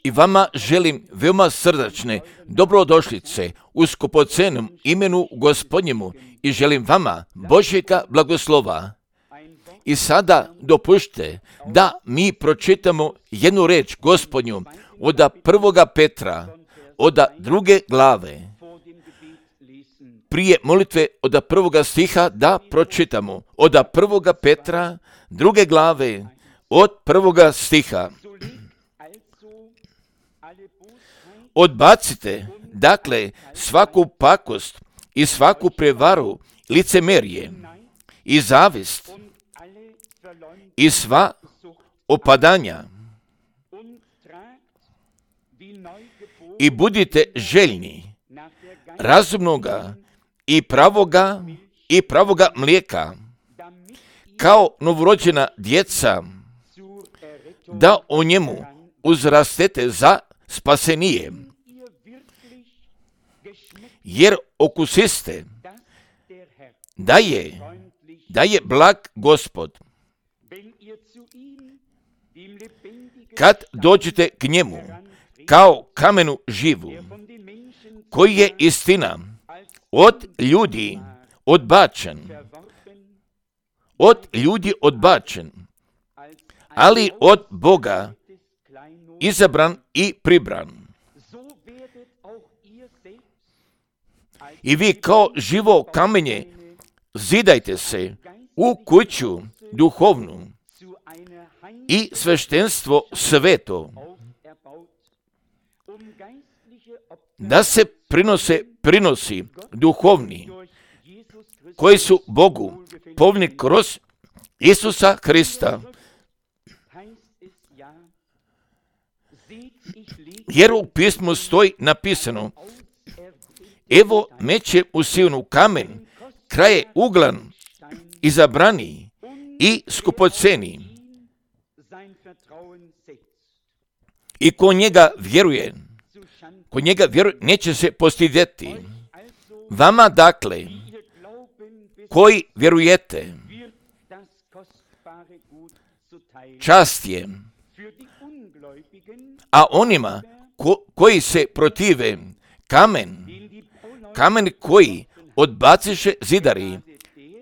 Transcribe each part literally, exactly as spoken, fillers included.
I vama želim veoma srdačne dobrodošlice u skupocenom imenu Gospodnjemu i želim vama Božjega blagoslova. I sada dopušte da mi pročitamo jednu reč Gospodnju od prvoga Petra, od druge glave. Prije molitve od prvoga stiha da pročitamo od prvoga Petra, druge glave, od prvoga stiha. Odbacite, dakle, svaku pakost i svaku prevaru, licemerje i zavist i sva opadanja i budite željni razumnoga i pravoga i pravoga mlijeka, kao novorođena djeca, da o njemu uzrastete za spasenije, jer okusiste da je, da je blag Gospod. Kad dođete k njemu kao kamenu živu, koji je istina od ljudi odbačen, od ljudi odbačen, ali od Boga izabran i pribran. I vi kao živo kamenje zidajte se u kuću duhovnu i sveštenstvo sveto, da se prinose prinosi duhovni, koji su Bogu povni kroz Isusa Hrista. Jer u pismu stoji napisano: evo meće u Sionu kamen, kraje uglan, izabrani i skupoceni. I ko njega vjeruje, ko njega vjeruje, neće se postidjeti. Vama dakle, koji vjerujete, čast je, a onima ko, koji se protive, kamen, kamen koji odbaciše zidari,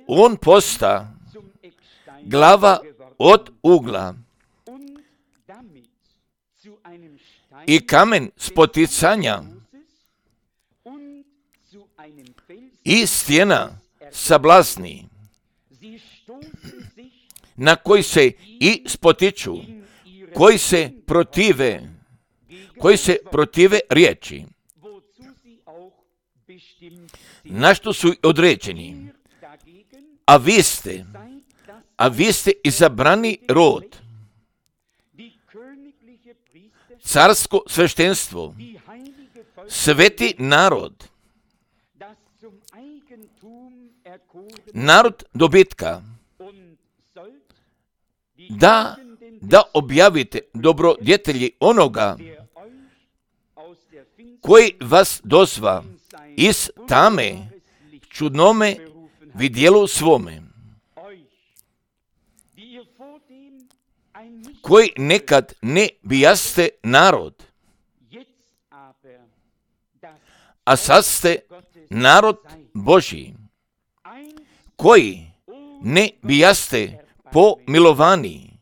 on posta glava od ugla. I kamen spoticanja i stjena sablasni, na koji se i spotiču, koji se protive, koji se protive riječi, na što su određeni. A vi ste, a vi ste izabrani rod, carsko sveštenstvo, sveti narod, narod dobitka, da, da objavite dobrodjetelji onoga koji vas dozva iz tame čudnome vidjelu svome, koji nekad ne bijaste narod, a sad ste narod Božji, koji ne bijaste pomilovani,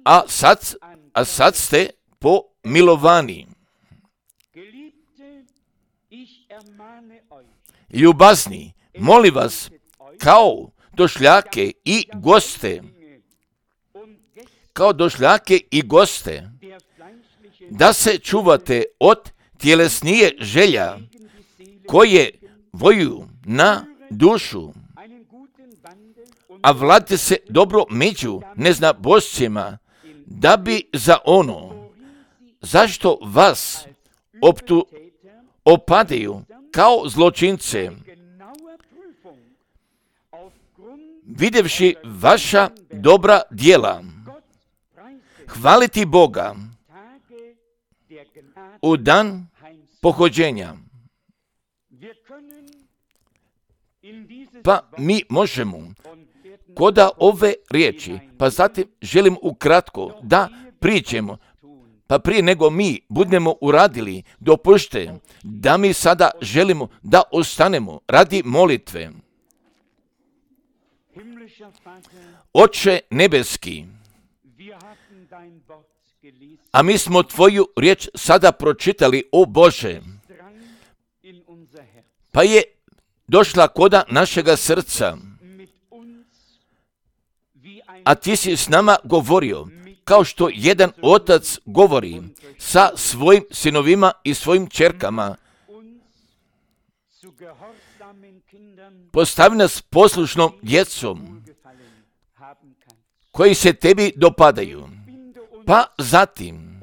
a sad, a sad ste pomilovani. Ljubazni, molim vas, kao došljake i goste, kao došljake i goste, da se čuvate od tjelesnije želja, koje voju na dušu, a vladite se dobro među neznabošcima, da bi za ono, zašto vas optu opadaju kao zločince, vidjevši vaša dobra djela, hvaliti Boga u dan pohođenja. Pa mi možemo koda ove riječi, pa zatim želim ukratko da priđemo, pa prije nego mi budemo uradili, dopušte da mi sada želimo da ostanemo radi molitve. Oče nebeski, a mi smo tvoju riječ sada pročitali, o Bože, pa je došla koda našega srca, a ti si s nama govorio, kao što jedan otac govori sa svojim sinovima i svojim ćerkama. Postavi nas poslušnom djecom koji se tebi dopadaju, pa zatim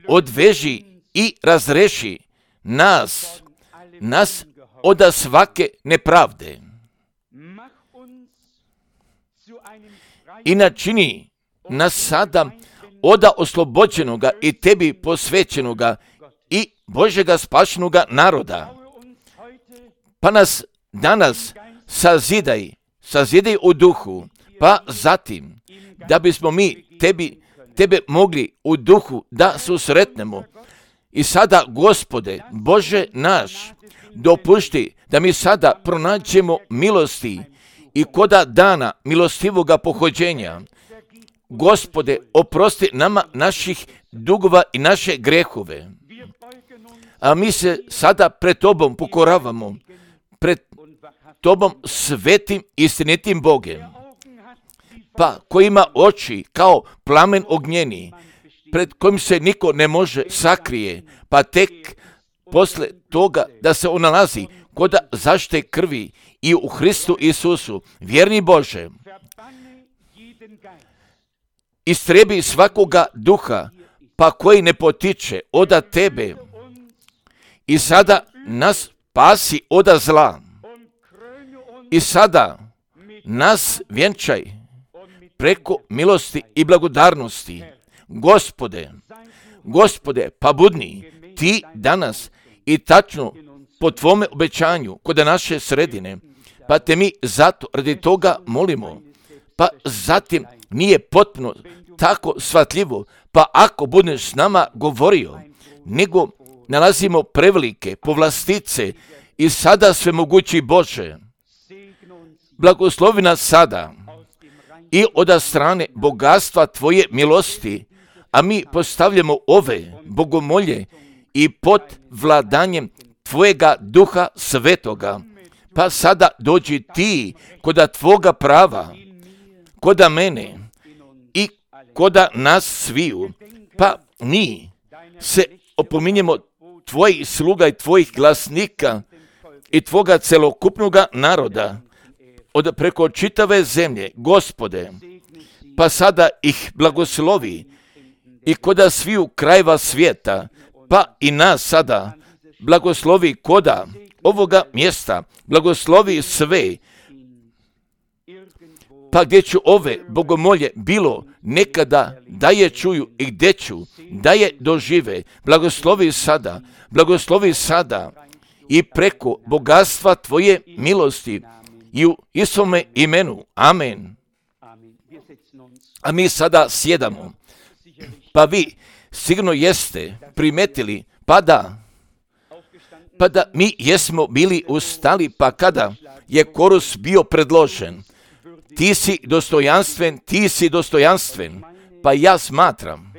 odveži i razreši nas, nas od svake nepravde i načini nas sada od oslobođenoga i tebi posvećenoga i Božega spašenoga naroda. Pa nas danas sazidaj, sazidaj u duhu, pa zatim da bismo mi tebi, tebe mogli u duhu da susretnemo. I sada, Gospode, Bože naš, dopušti da mi sada pronađemo milosti i koda dana milostivoga pohođenja. Gospode, oprosti nama naših dugova i naše grehove. A mi se sada pred Tobom pokoravamo, pred Tobom svetim istinitim Bogem, pa koji ima oči kao plamen ognjeni, pred kojim se niko ne može sakrije, pa tek posle toga da se on nalazi kod zaštite krvi i u Hristu Isusu, vjerni Bože, istrebi svakoga duha, pa koji ne potiče od tebe, i sada nas spasi od zla, i sada nas vjenčaj preko milosti i blagodarnosti. Gospode, Gospode, pa budni ti danas i tačno po tvome obećanju kod naše sredine, pa te mi zato radi toga molimo, pa zatim nije potpuno tako shvatljivo, pa ako budeš s nama govorio, nego nalazimo prevelike povlastice i sada svemogući Bože, blagoslovi nas sada i od strane bogatstva tvoje milosti, a mi postavljamo ove bogomolje i pod vladanjem tvojega duha svetoga. Pa sada dođi ti koda tvoga prava, koda mene i koda nas sviju, pa mi se opominjemo tvojih sluga i tvojih glasnika i tvoga celokupnoga naroda od preko čitave zemlje, Gospode, pa sada ih blagoslovi i koda sviju krajeva svijeta, pa i nas sada blagoslovi koda ovoga mjesta, blagoslovi sve, pa gdje ću ove bogomolje bilo nekada da je čuju i gdje ću da je dožive, blagoslovi sada, blagoslovi sada i preko bogatstva tvoje milosti i u Isome imenu. Amen. A mi sada sjedamo. Pa vi sigurno jeste primetili, pa da, pa da mi jesmo bili ustali, pa kada je korus bio predložen, ti si dostojanstven, ti si dostojanstven, pa ja smatram,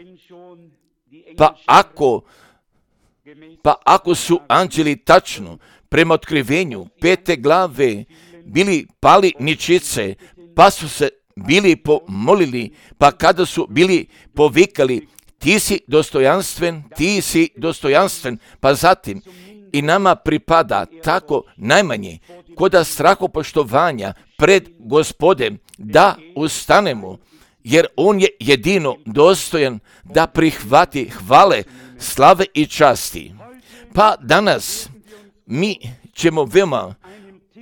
pa ako, pa ako su anđeli tačno prema otkrivenju pete glave bili pali ničice, pa su se bili pomolili, pa kada su bili povikali, ti si dostojanstven, ti si dostojanstven, pa zatim i nama pripada tako najmanje koda strahopoštovanja pred Gospodem da ustanemo, jer on je jedino dostojan da prihvati hvale, slave i časti. Pa danas mi ćemo veoma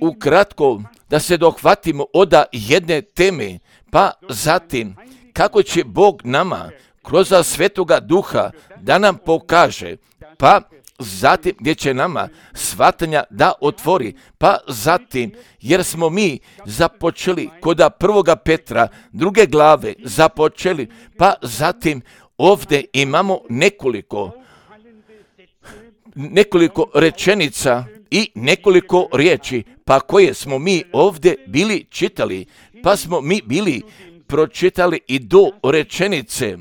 ukratko da se dohvatimo od jedne teme, pa zatim kako će Bog nama kroz Svetoga Duha da nam pokaže, pa zatim gdje će nama shvatanja da otvori, pa zatim jer smo mi započeli kod prvoga Petra, druge glave započeli, pa zatim ovdje imamo nekoliko, nekoliko rečenica i nekoliko riječi, pa koje smo mi ovdje bili čitali, pa smo mi bili pročitali i do rečenice,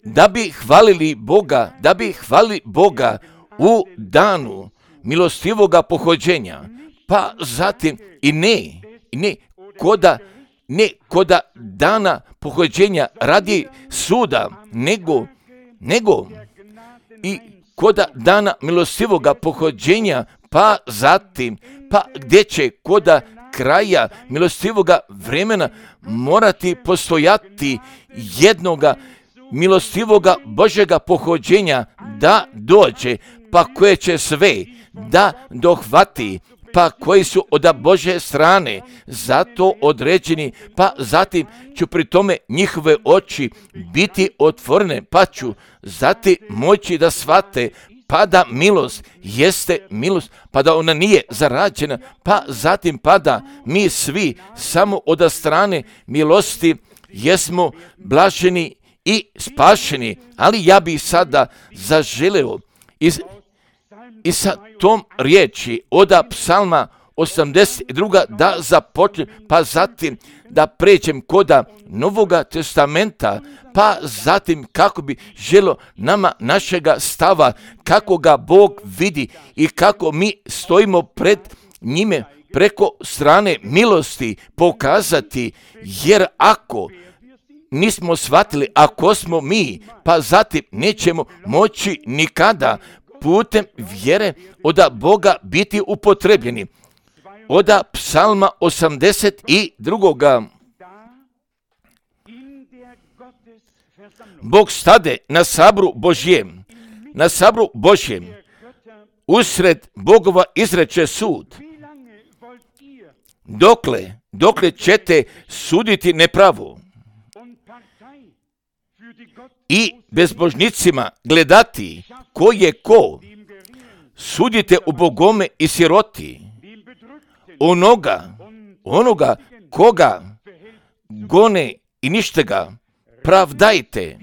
da bi hvalili Boga, da bi hvalili Boga u danu milostivoga pohođenja, pa zatim i ne, i ne koda, ne koda dana pohođenja radi suda, nego, nego i koda dana milostivoga pohođenja, pa zatim, pa gdje će koda kraja milostivoga vremena morati postojati jednoga milostivoga Božjega pohođenja da dođe, pa koje će sve da dohvati, pa koji su od Božje strane zato određeni, pa zatim ću pri tome njihove oči biti otvorene, pa ću zatim moći da shvate, pa da milost jeste milost, pa da ona nije zarađena, pa zatim pa da mi svi samo od strane milosti jesmo blaženi i spašeni. Ali ja bih sada zaželeo iz, i sa tom riječi od Psalma osamdeset dva da započnem, pa zatim da pređem koda Novoga testamenta, pa zatim kako bi želo nama našega stava, kako ga Bog vidi i kako mi stojimo pred njime preko strane milosti pokazati, jer ako nismo shvatili, ako smo mi, pa zatim nećemo moći nikada putem vjere od Boga biti upotrebljeni. Od Psalma osamdeset dva. Bog stade na sabru Božjem, na sabru Božjem, usred Bogova izreče sud. Dokle, dokle ćete suditi nepravo i bezbožnicima gledati ko je ko, sudite u bogome i siroti, onoga, onoga koga gone i ništega, pravdajte,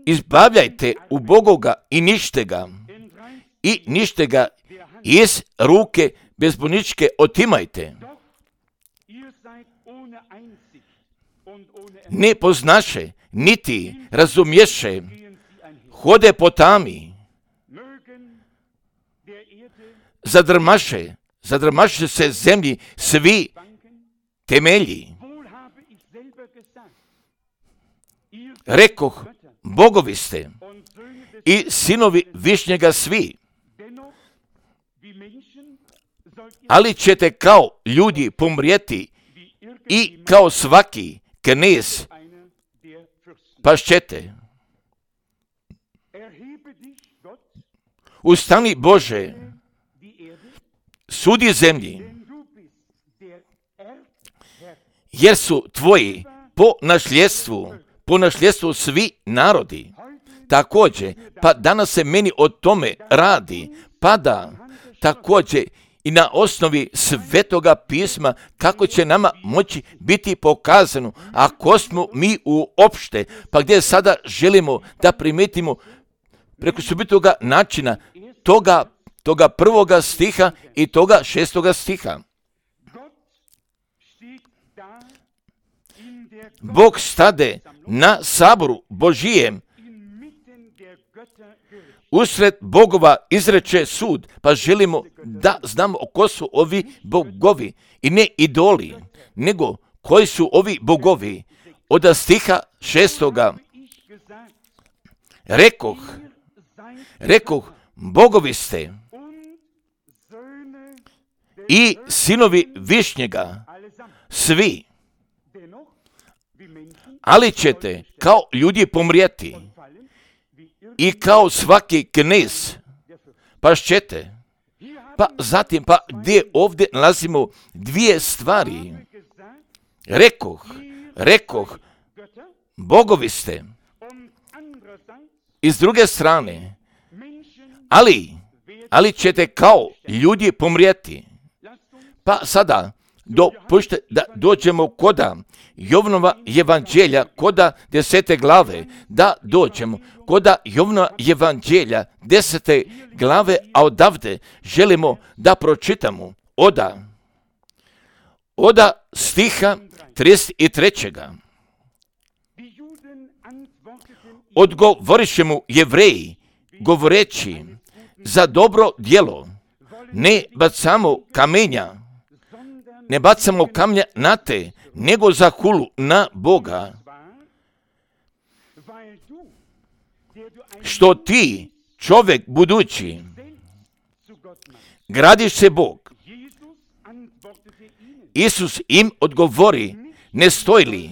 izbavljajte u bogoga i ništega, i ništega iz ruke bezbožničke otimajte. Ne poznaše, niti razumješe, hode po tami, zadrmaše, zadrmaše se zemlji svi temelji. Rekoh, bogovi ste i sinovi višnjega svi, ali ćete kao ljudi pomrijeti i kao svaki knez pašćete. Ustani Bože, sudi zemlji, jer su tvoji po nasljedstvu, po nasljedstvu svi narodi. Također, pa danas se meni o tome radi, pa da također i na osnovi Svetoga pisma kako će nama moći biti pokazano ako smo mi uopšte, pa gdje sada želimo da primetimo preko subitoga načina toga, toga prvoga stiha i toga šestoga stiha. Bog stade na saboru Božijem, usred bogova izreče sud, pa želimo da znamo ko su ovi bogovi i ne idoli, nego koji su ovi bogovi. Od stiha šestoga rekoh, rekoh, bogovi ste i sinovi višnjega svi, ali ćete kao ljudi pomrijeti i kao svaki knez pašćete. Pa zatim, pa gdje ovdje nalazimo dvije stvari. Rekoh, rekoh, bogovi ste. I s druge strane, ali, ali ćete kao ljudi pomrijeti. Pa sada, dopušte da dođemo koda Jovanova evanđelja, koda desete glave, da dođemo koda Jovanova evanđelja, desete glave, a odavde želimo da pročitamo oda, oda stiha trideset trećega. Odgovoriše mu Jevreji, govoreći, za dobro djelo ne bacamo kamenja, ne bacamo kamnja na te, nego za hulu na Boga. Što ti, čovjek budući, gradiš se Bog. Isus im odgovori, ne stoji li,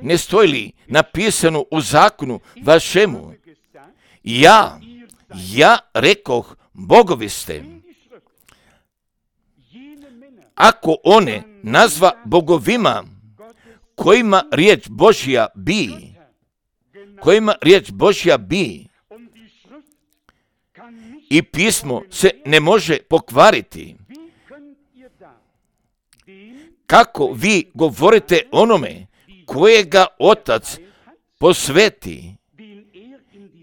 ne stoji li napisano u zakonu vašemu, ja, ja rekoh, bogovi ste. Ako one nazva bogovima, kojima riječ Božja bi, kojima riječ Božja bi, i pismo se ne može pokvariti, kako vi govorite onome kojega Otac posveti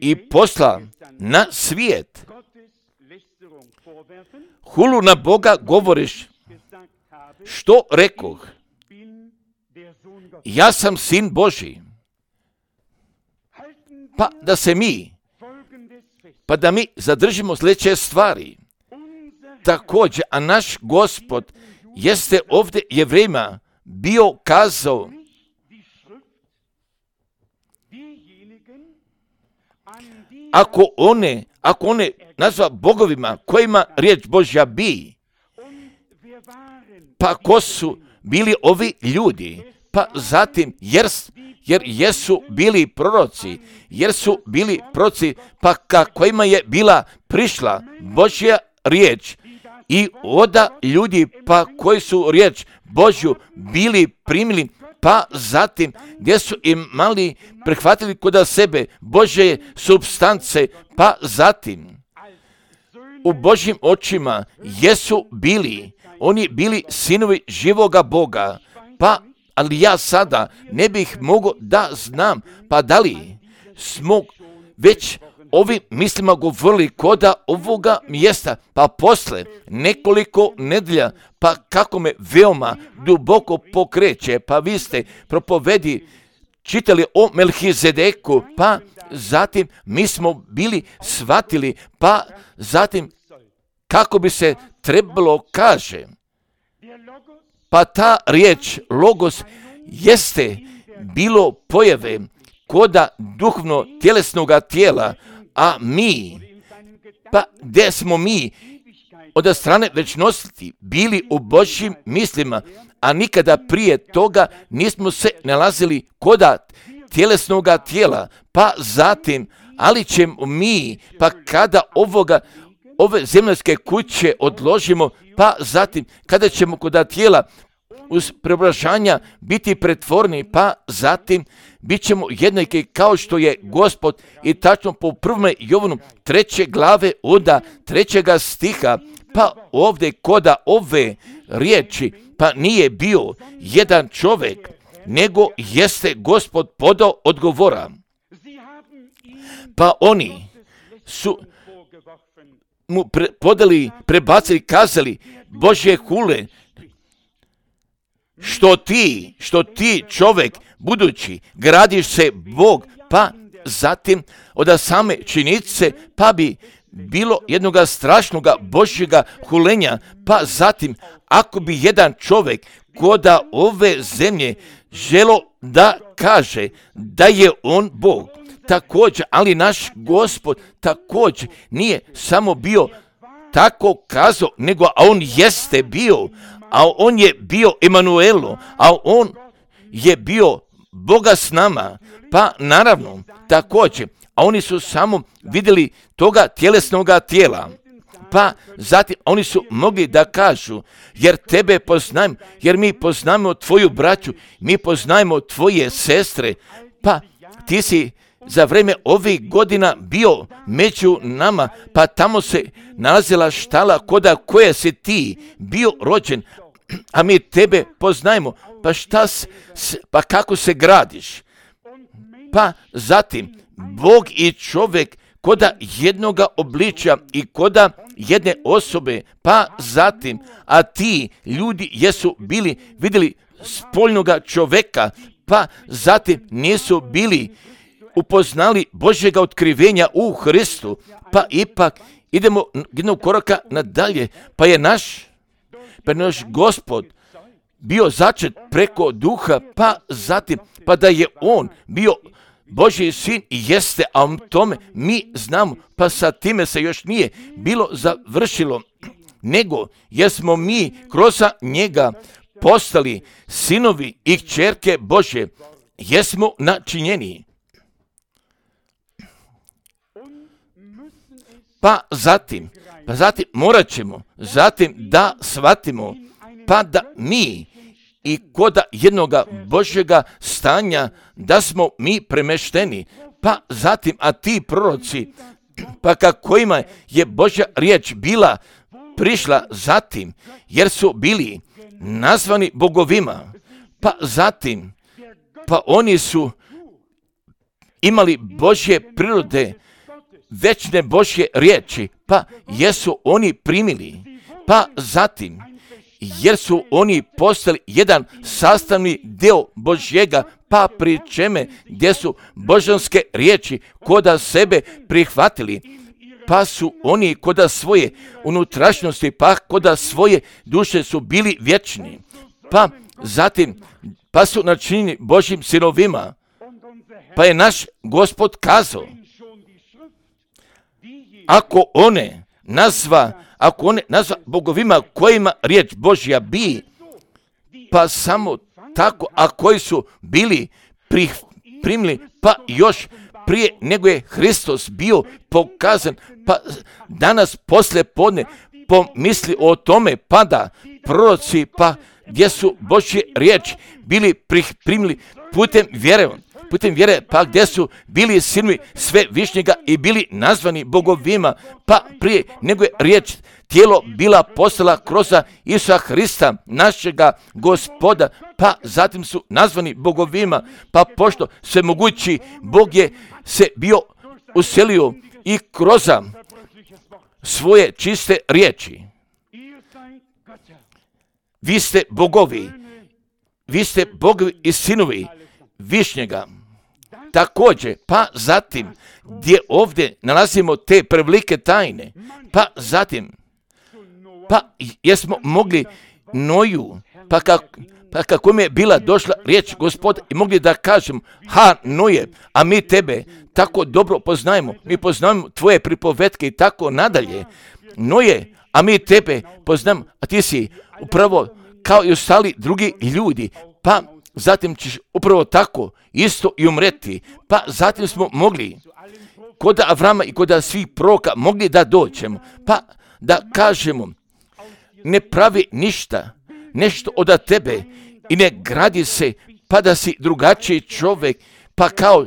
i posla na svijet, hulu na Boga govoriš, što rekoh, ja sam sin Božji. Pa da se mi, pa da mi zadržimo sljedeće stvari. Također, a naš Gospod jeste ovdje Jevrejima bio kazao, ako one, ako one nazva bogovima kojima riječ Božja bi, pa ko su bili ovi ljudi, pa zatim jer, jer jesu bili proroci, jer su bili proroci, pa ka kojima je bila prišla Božja riječ, i oda ljudi pa koji su riječ Božju bili primili, pa zatim gdje su imali prihvatili kod sebe Božje supstance, pa zatim u Božjim očima jesu bili, oni bili sinovi živoga Boga, pa ali ja sada ne bih mogao da znam, pa da li smo već ovim mislima govorili koda ovoga mjesta, pa posle nekoliko nedelja, pa kako me veoma duboko pokreće, pa vi ste propovedi čitali o Melhizedeku, pa zatim mi smo bili shvatili, pa zatim kako bi se trebalo kaže, pa ta riječ logos jeste bilo pojave koda duhovno tjelesnoga tijela, a mi, pa gdje smo mi od strane večnosti bili u Božjim mislima, a nikada prije toga nismo se nalazili koda tjelesnoga tijela, pa zatim, ali ćemo mi, pa kada ovoga, ove zemaljske kuće odložimo, pa zatim, kada ćemo koda tijela uz preobražanja biti pretvorni, pa zatim bit ćemo jednaki kao što je Gospod, i tačno po prvom Jovanu treće glave oda trećega stiha, pa ovdje koda ove riječi, pa nije bio jedan čovjek, nego jeste Gospod podao odgovora. Pa oni su mu pre, podali, prebacili, kazali, Božje hule, što ti, što ti čovjek budući gradiš se Bog, pa zatim od same činjenice, pa bi bilo jednoga strašnoga Božjega hulenja, pa zatim ako bi jedan čovjek koda ove zemlje želo da kaže da je on Bog, također, ali naš Gospod također nije samo bio tako kazao, nego a on jeste bio, a on je bio Emanuelo, a on je bio Boga s nama, pa naravno također, a oni su samo vidjeli toga tjelesnoga tijela, pa zatim oni su mogli da kažu, jer tebe poznajem, jer mi poznajemo tvoju braću, mi poznajemo tvoje sestre, pa ti si za vrijeme ovih godina bio među nama, pa tamo se nalazila štala koda koje si ti bio rođen, a mi tebe poznajemo, pa šta s, pa kako se gradiš? Pa zatim, Bog i čovjek koda jednoga obličja i koda jedne osobe, pa zatim, a ti ljudi jesu bili vidjeli spoljnoga čovjeka, pa zatim nisu bili upoznali Božjega otkrivenja u Hristu, pa ipak idemo jednog koraka nadalje, pa je naš, pa je naš Gospod bio začet preko duha, pa zatim, pa da je on bio Božji sin i jeste, a o tome mi znamo, pa sa time se još nije bilo završilo, nego jesmo mi kroz njega postali sinovi i kćerke Božje, jesmo načinjeni. Pa zatim, pa zatim morat ćemo, zatim da shvatimo, pa da mi i koda jednoga Božjega stanja, da smo mi premešteni, pa zatim, a ti proroci, pa kakvima je Božja riječ bila prišla zatim, jer su bili nazvani bogovima, pa zatim, pa oni su imali Božje prirode, večne Božje riječi, pa jesu oni primili, pa zatim, jer su oni postali jedan sastavni dio Božjega, pa pri čeme gdje su božanske riječi koda sebe prihvatili, pa su oni koda svoje unutrašnjosti, pa koda svoje duše su bili vječni, pa zatim, pa su načinjeni Božjim sinovima, pa je naš Gospod kazao, ako one nazva, ako one nazva bogovima kojima riječ Božja bi, pa samo tako, a koji su bili prih, primili, pa još prije nego je Hristos bio pokazan, pa danas poslije podne pomisli o tome, pa da proroci, pa gdje su Božje riječ bili prih, primili putem vjere, putem vjere, pa gdje su bili sinovi sve višnjega i bili nazvani bogovima, pa prije nego je riječ tijelo bila postala kroz Isusa Hrista, našega Gospoda, pa zatim su nazvani bogovima, pa pošto sve mogući Bog je se bio uselio i kroz svoje čiste riječi. Vi ste bogovi, vi ste bogovi i sinovi višnjega. Također, pa zatim, gdje ovdje nalazimo te prevelike tajne, pa zatim, pa jesmo mogli Noju, pa, kak, pa kako mi je bila došla riječ Gospoda i mogli da kažemo, ha Noje, a mi tebe tako dobro poznajemo, mi poznajemo tvoje pripovetke i tako nadalje. Noje, a mi tebe poznajemo, a ti si upravo kao i ostali drugi ljudi, pa zatim ćeš upravo tako isto i umreti. Pa zatim smo mogli kod Avrama i kod svih proroka mogli da dođemo, pa da kažemo, ne pravi ništa, nešto od tebe i ne gradi se, pa da si drugačiji čovjek, pa kao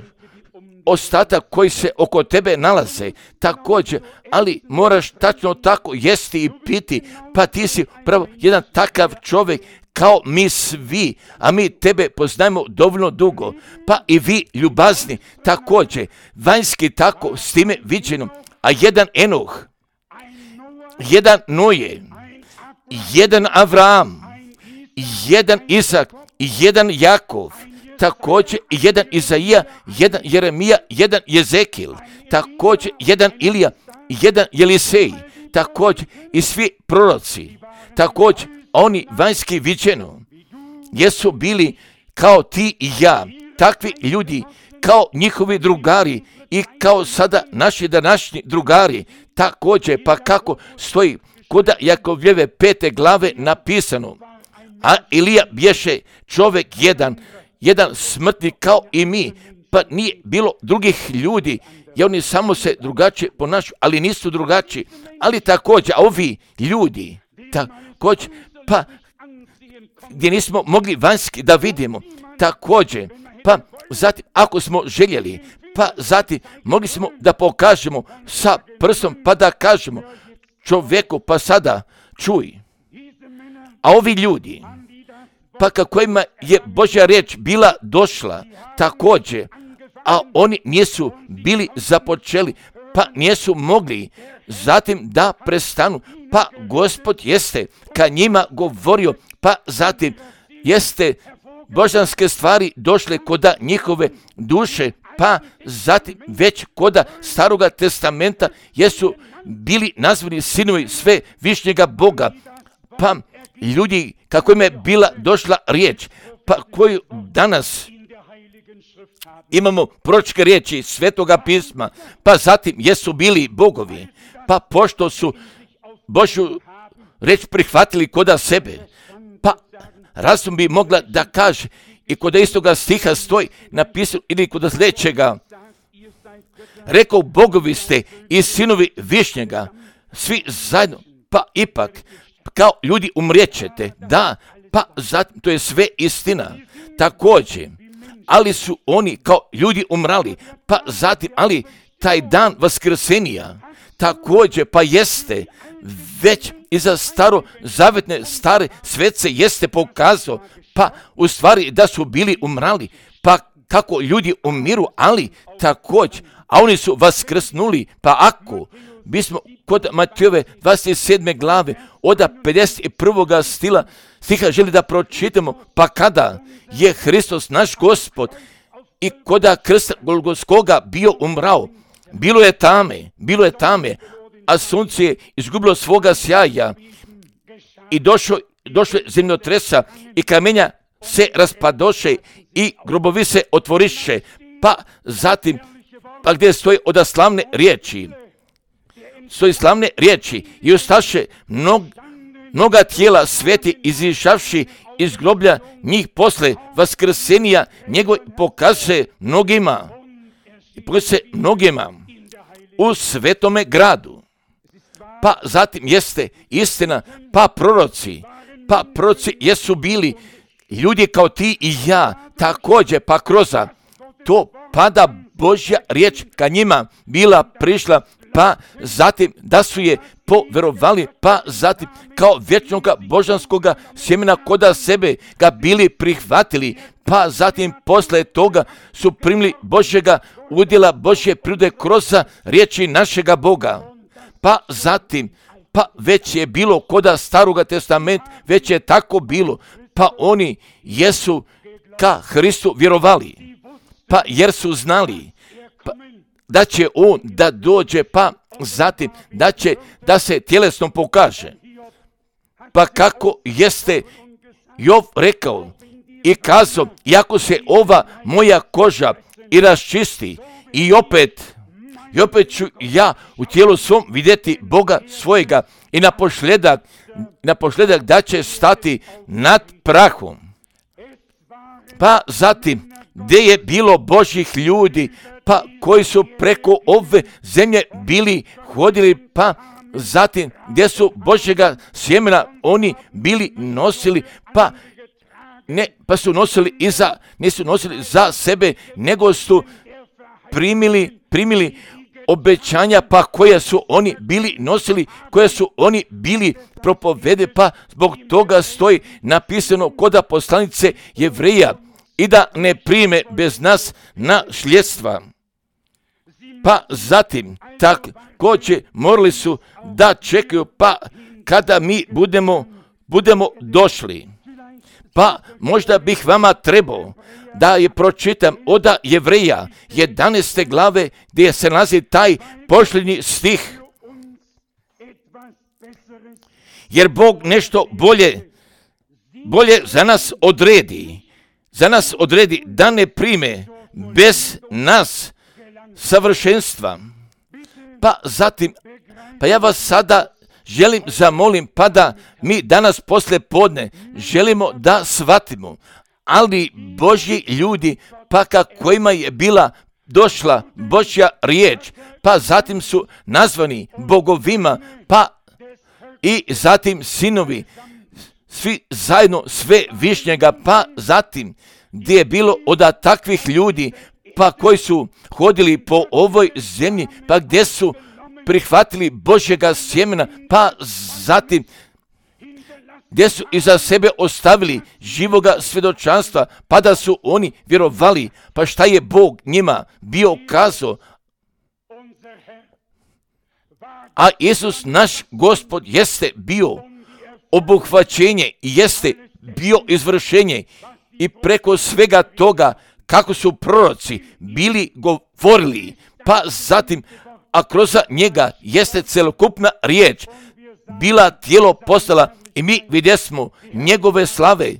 ostatak koji se oko tebe nalaze također, ali moraš tačno tako jesti i piti, pa ti si pravo jedan takav čovjek kao mi svi, a mi tebe poznajemo dovoljno dugo, pa i vi ljubazni također, vanjski tako s time viđeno, a jedan Enoh, jedan Noje, jedan Avram, jedan Isak i jedan Jakov, također jedan Izaija, jedan Jeremija, jedan Jezekil, također jedan Ilija, jedan Jelisej, također i svi proroci, također oni vanjski viđeno, jesu bili kao ti i ja, takvi ljudi, kao njihovi drugari i kao sada naši današnji drugari, također pa kako stoji kod Jakovljeve pete glave napisano, a Ilija bješe čovjek jedan, jedan smrtnik kao i mi, pa nije bilo drugih ljudi, i oni samo se drugačije ponašaju, ali nisu drugačiji, ali također, a ovi ljudi, također, pa gdje nismo mogli vanjski da vidimo, također, pa zatim, ako smo željeli pa zatim mogli smo da pokažemo sa prstom, pa da kažemo čovjeku, pa sada čuj. A ovi ljudi, pa kako ima je Božja riječ bila došla također, a oni nisu bili započeli, pa nisu mogli zatim da prestanu, pa Gospod jeste ka njima govorio, pa zatim jeste božanske stvari došle koda njihove duše, pa zatim već koda Staroga testamenta jesu bili nazvani sinovi sve višnjega Boga, pa ljudi kako im je bila došla riječ, pa koju danas imamo proročke riječi Svetoga pisma, pa zatim jesu bili bogovi, pa pošto su Božju riječ prihvatili koda sebe, pa razum bi mogla da kaže i kod istoga stiha stoji napisano ili kod sljedećega, rekao bogovi ste i sinovi višnjega, svi zajedno, pa ipak kao ljudi umrijećete, da, pa zatim to je sve istina, također, ali su oni kao ljudi umrali, pa zatim, ali taj dan vaskrsenija, također, pa jeste, već iza staro zavetne stare svece jeste pokazao, pa u stvari da su bili umrali, pa kako ljudi umiru, ali također, a oni su vaskrsnuli, pa ako bismo kod Matejove dvadeset sedme glave od pedeset prvog stila stiha želi da pročitamo, pa kada je Hristos naš Gospod i koda krsta Golgotskoga bio umrao, bilo je tame, bilo je tame, a sunce je izgubilo svoga sjaja i došlo, došlo je zemljotresa i kamenja se raspadoše i grobovi se otvoriše, pa zatim, pa gdje stoji od slavne riječi, stoji slavne riječi i ustaše mnog, mnoga tijela sveti izišavši iz groblja njih posle vaskrsenija njegov pokaže mnogima i pokaže mnogima u svetome gradu. Pa zatim jeste istina, pa proroci, pa proroci jesu bili ljudi kao ti i ja, također, pa kroz to pada Božja riječ ka njima bila prišla, pa zatim da su je poverovali, pa zatim kao vječnoga božanskoga sjemena koda sebe ga bili prihvatili, pa zatim posle toga su primili Božjega udjela, Božje prirode kroz riječi našega Boga. Pa zatim, pa već je bilo koda Staroga testamenta, već je tako bilo, pa oni jesu ka Hristu vjerovali, pa jer su znali pa, da će on da dođe, pa zatim da će da se tjelesno pokaže. Pa kako jeste Jov rekao i kazao, iako se ova moja koža i raščisti i opet I opet ću ja u tijelu svom vidjeti Boga svojega i na pošljedak, na pošljedak da će stati nad prahom. Pa zatim, gdje je bilo Božjih ljudi, pa koji su preko ove zemlje bili hodili, pa zatim gdje su Božjega sjemena oni bili nosili, pa ne, pa su nosili iza, nisu nosili za sebe, nego su primili, primili obećanja, pa koje su oni bili nosili, koje su oni bili propovede, pa zbog toga stoji napisano koda poslanice Jevreja i da ne prime bez nas našljedstva. Pa zatim također morali su da čekaju, pa kada mi budemo, budemo došli. Pa možda bih vama trebao da je pročitam od Jevreja jedanaeste glave gdje se nalazi taj posljednji stih. Jer Bog nešto bolje, bolje za nas odredi, za nas odredi da ne prime bez nas savršenstva. Pa zatim, pa ja vas sada želim zamolim, pa da mi danas poslije podne želimo da shvatimo, ali Božji ljudi, pa kojima je bila došla Božja riječ, pa zatim su nazvani bogovima, pa i zatim sinovi, svi zajedno sve višnjega, pa zatim gdje je bilo od takvih ljudi, pa koji su hodili po ovoj zemlji, pa gdje su prihvatili Božjega sjemena, pa zatim gdje su iza sebe ostavili živoga svjedočanstva, pa da su oni vjerovali, pa šta je Bog njima bio kazao. A Isus naš Gospod jeste bio obuhvaćenje i jeste bio izvršenje i preko svega toga kako su proroci bili govorili, pa zatim, a kroz njega jeste celokupna riječ bila tijelo postala i mi vidjesmo njegove slave,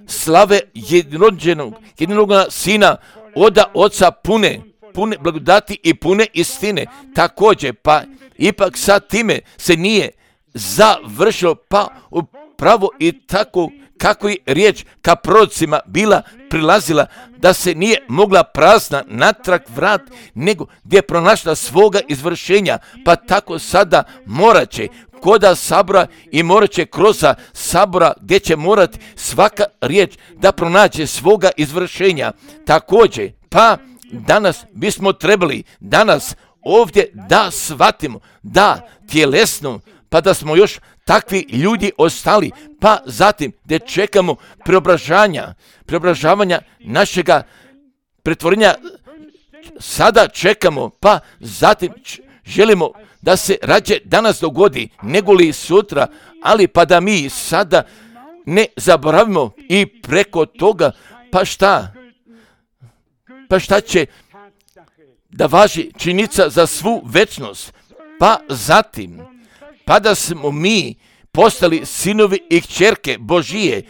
slave jednorođenog, jednorođenog sina oda oca pune, pune blagodati i pune istine. Također, pa ipak sa time se nije završilo, pa upravo i tako kako je riječ ka prorocima bila prilazila, da se nije mogla prazna natrag vrat, nego gdje je pronašla svoga izvršenja, pa tako sada morat će koda sabora i morat će kroz sabora gdje će morati svaka riječ da pronaće svoga izvršenja. Također, pa danas bismo trebali danas ovdje da shvatimo, da tjelesno, pa da smo još takvi ljudi ostali, pa zatim da čekamo preobražanja, preobražavanja našega pretvorenja, sada čekamo, pa zatim želimo da se rađe danas dogodi, nego li sutra, ali pa da mi sada ne zaboravimo i preko toga, pa šta? Pa šta će da važi činjenica za svu večnost, pa zatim, pa da smo mi postali sinovi i kćerke Božije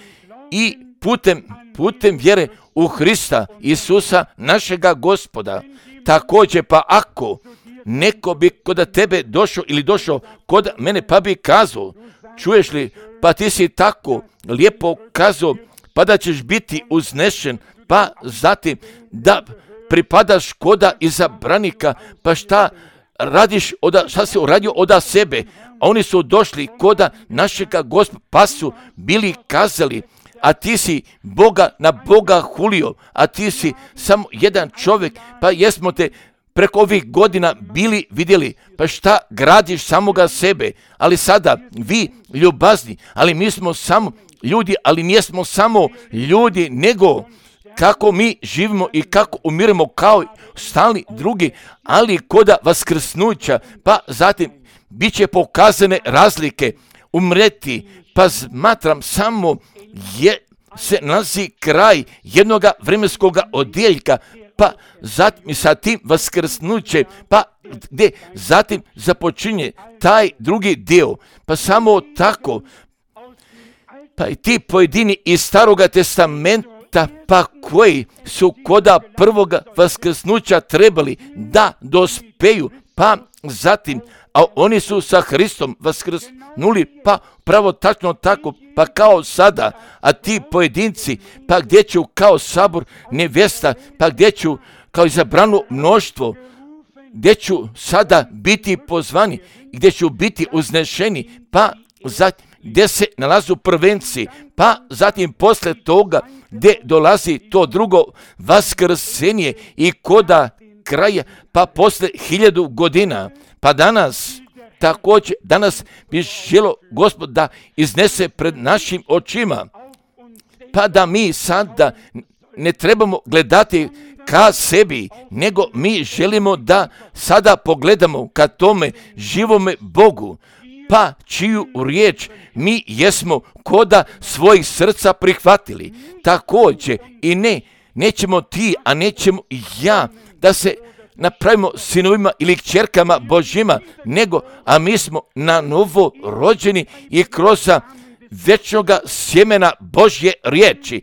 i putem, putem vjere u Hrista Isusa našega Gospoda. Također, pa ako neko bi kod tebe došao ili došao kod mene pa bi kazao, čuješ li, pa ti si tako lijepo kazao, pa da ćeš biti uznešen, pa zatim da pripadaš koda izabranika, pa šta radiš, oda, šta si uradio oda sebe, a oni su došli koda našega Gospoda, pa su bili kazali, a ti si Boga na Boga hulio, a ti si samo jedan čovjek, pa jesmo te preko ovih godina bili vidjeli, pa šta gradiš samoga sebe, ali sada vi ljubazni, ali mi smo samo ljudi, ali nijesmo samo ljudi, nego kako mi živimo i kako umiremo kao stalni drugi, ali koda vaskrsnuća, pa zatim bit će pokazane razlike, umreti, pa smatram samo je se nalazi kraj jednoga vremenskoga odjeljka, pa zatim i sa tim vaskrsnuće, pa gdje zatim započinje taj drugi dio, pa samo tako, pa i ti pojedini iz Staroga testamenta, pa koji su koda prvoga vaskrsnuća trebali da dospeju, pa zatim, a oni su sa Hristom vaskrsnuli, pa pravo tačno tako, pa kao sada, a ti pojedinci, pa gdje ću kao sabor nevjesta, pa gdje ću kao izabrano mnoštvo, gdje ću sada biti pozvani, gdje ću biti uznešeni, pa zatim gdje se nalazu prvenci, pa zatim posle toga gdje dolazi to drugo vaskrsenje i koda kraja, pa posle hiljadu godina, pa danas, također danas bi želo Gospod da iznese pred našim očima, pa da mi sada ne trebamo gledati ka sebi, nego mi želimo da sada pogledamo ka tome živome Bogu, pa čiju riječ mi jesmo koda svojih srca prihvatili. Također i ne, nećemo ti, a nećemo i ja da se napravimo sinovima ili kćerkama Božjima, nego, a mi smo na novo rođeni i kroz večnoga sjemena Božje riječi,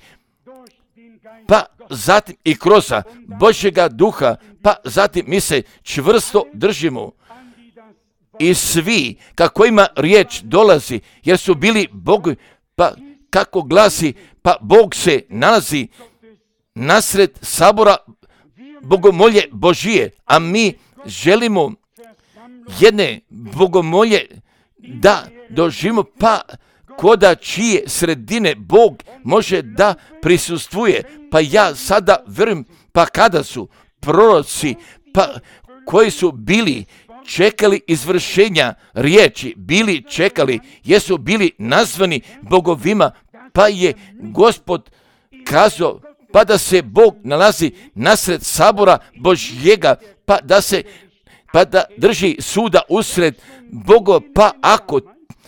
pa zatim i kroz Božjega duha, pa zatim mi se čvrsto držimo i svi kako ima riječ dolazi, jer su bili Bogu, pa kako glasi, pa Bog se nalazi nasred sabora bogomolje Božije, a mi želimo jedne bogomolje da doživimo, pa koda čije sredine Bog može da prisustvuje, pa ja sada verujem, pa kada su proroci, pa koji su bili čekali izvršenja riječi, bili čekali, jesu bili nazvani bogovima, pa je Gospod kazao, pa da se Bog nalazi nasred sabora Božjega, pa da se pa da drži suda usred Bogova, pa ako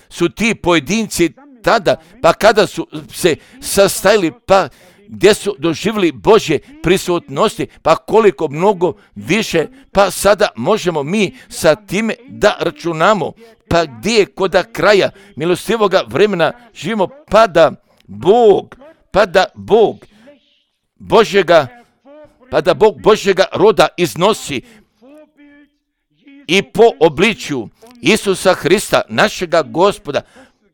su ti pojedinci tada, pa kada su se sastajali, pa gdje su doživjeli Božje prisutnosti, pa koliko mnogo više, pa sada možemo mi sa time da računamo, pa gdje je koda kraja milostivoga vremena živimo, pa da Bog, pa da Bog Božjega, pa da Bog Božjega roda iznosi i po obličju Isusa Hrista, našega Gospoda,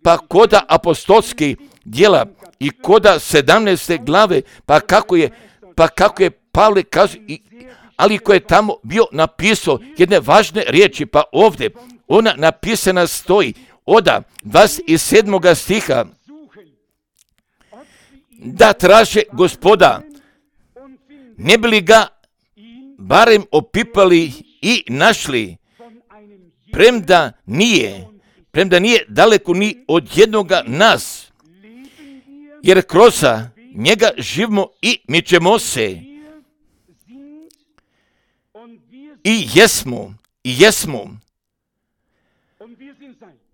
pa koda apostolskih djela i koda sedamnaeste glave, pa kako je, pa kako je Pavle kazao, ali ko je tamo bio napisao jedne važne riječi, pa ovdje ona napisana stoji, oda dvadeset sedmoga stiha, da traže Gospoda, ne bi li ga barem opipali i našli, premda nije, premda nije daleko ni od jednoga nas, jer kroz njega živimo i mičemo se. I jesmo, i jesmo,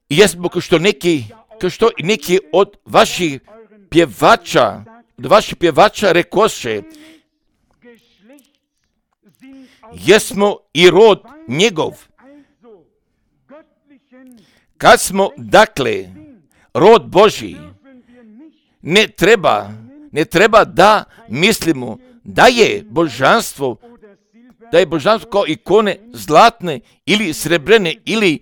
i jesmo kao što neki, kao što neki od vaših pjevača, od vaših pjevača rekoše, jesmo i rod njegov. Kad smo, dakle, rod Božji, ne treba, ne treba da mislimo da je božanstvo, da je božanstvo kao ikone zlatne ili srebrene ili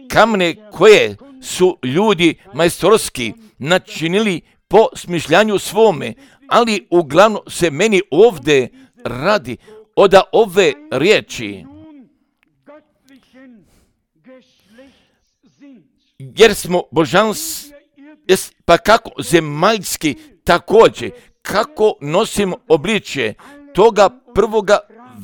kamene koje su ljudi majstorski načinili po smišljanju svome, ali uglavnom se meni ovdje radi od ove riječi, jer smo božanstvo, pa kako zemaljski također, kako nosimo obličje toga prvoga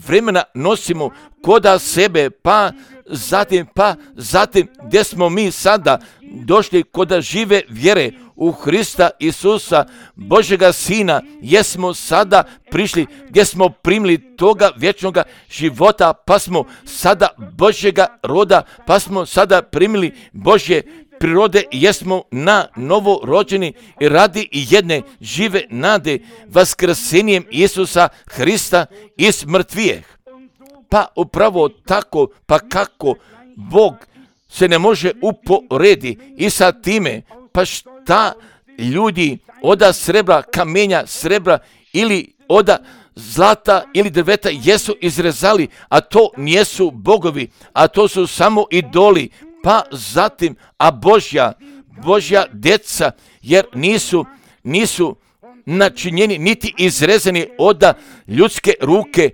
vremena nosimo koda sebe, pa zatim, pa zatim gdje smo mi sada došli koda žive vjere u Hrista Isusa, Božjega Sina, jesmo sada prišli gdje smo primili toga vječnoga života, pa smo sada Božjega roda, pa smo sada primili Božje prirode, jesmo na novo rođeni i radi jedne žive nade vaskrsenjem Isusa Hrista iz mrtvijeh. Pa upravo tako, pa kako Bog se ne može uporedi i sa time, pa šta ljudi oda srebra, kamenja, srebra ili oda zlata ili drveta jesu izrezali, a to nijesu bogovi, a to su samo idoli, pa zatim, a Božja, Božja djeca, jer nisu, nisu načinjeni niti izrezani oda ljudske ruke,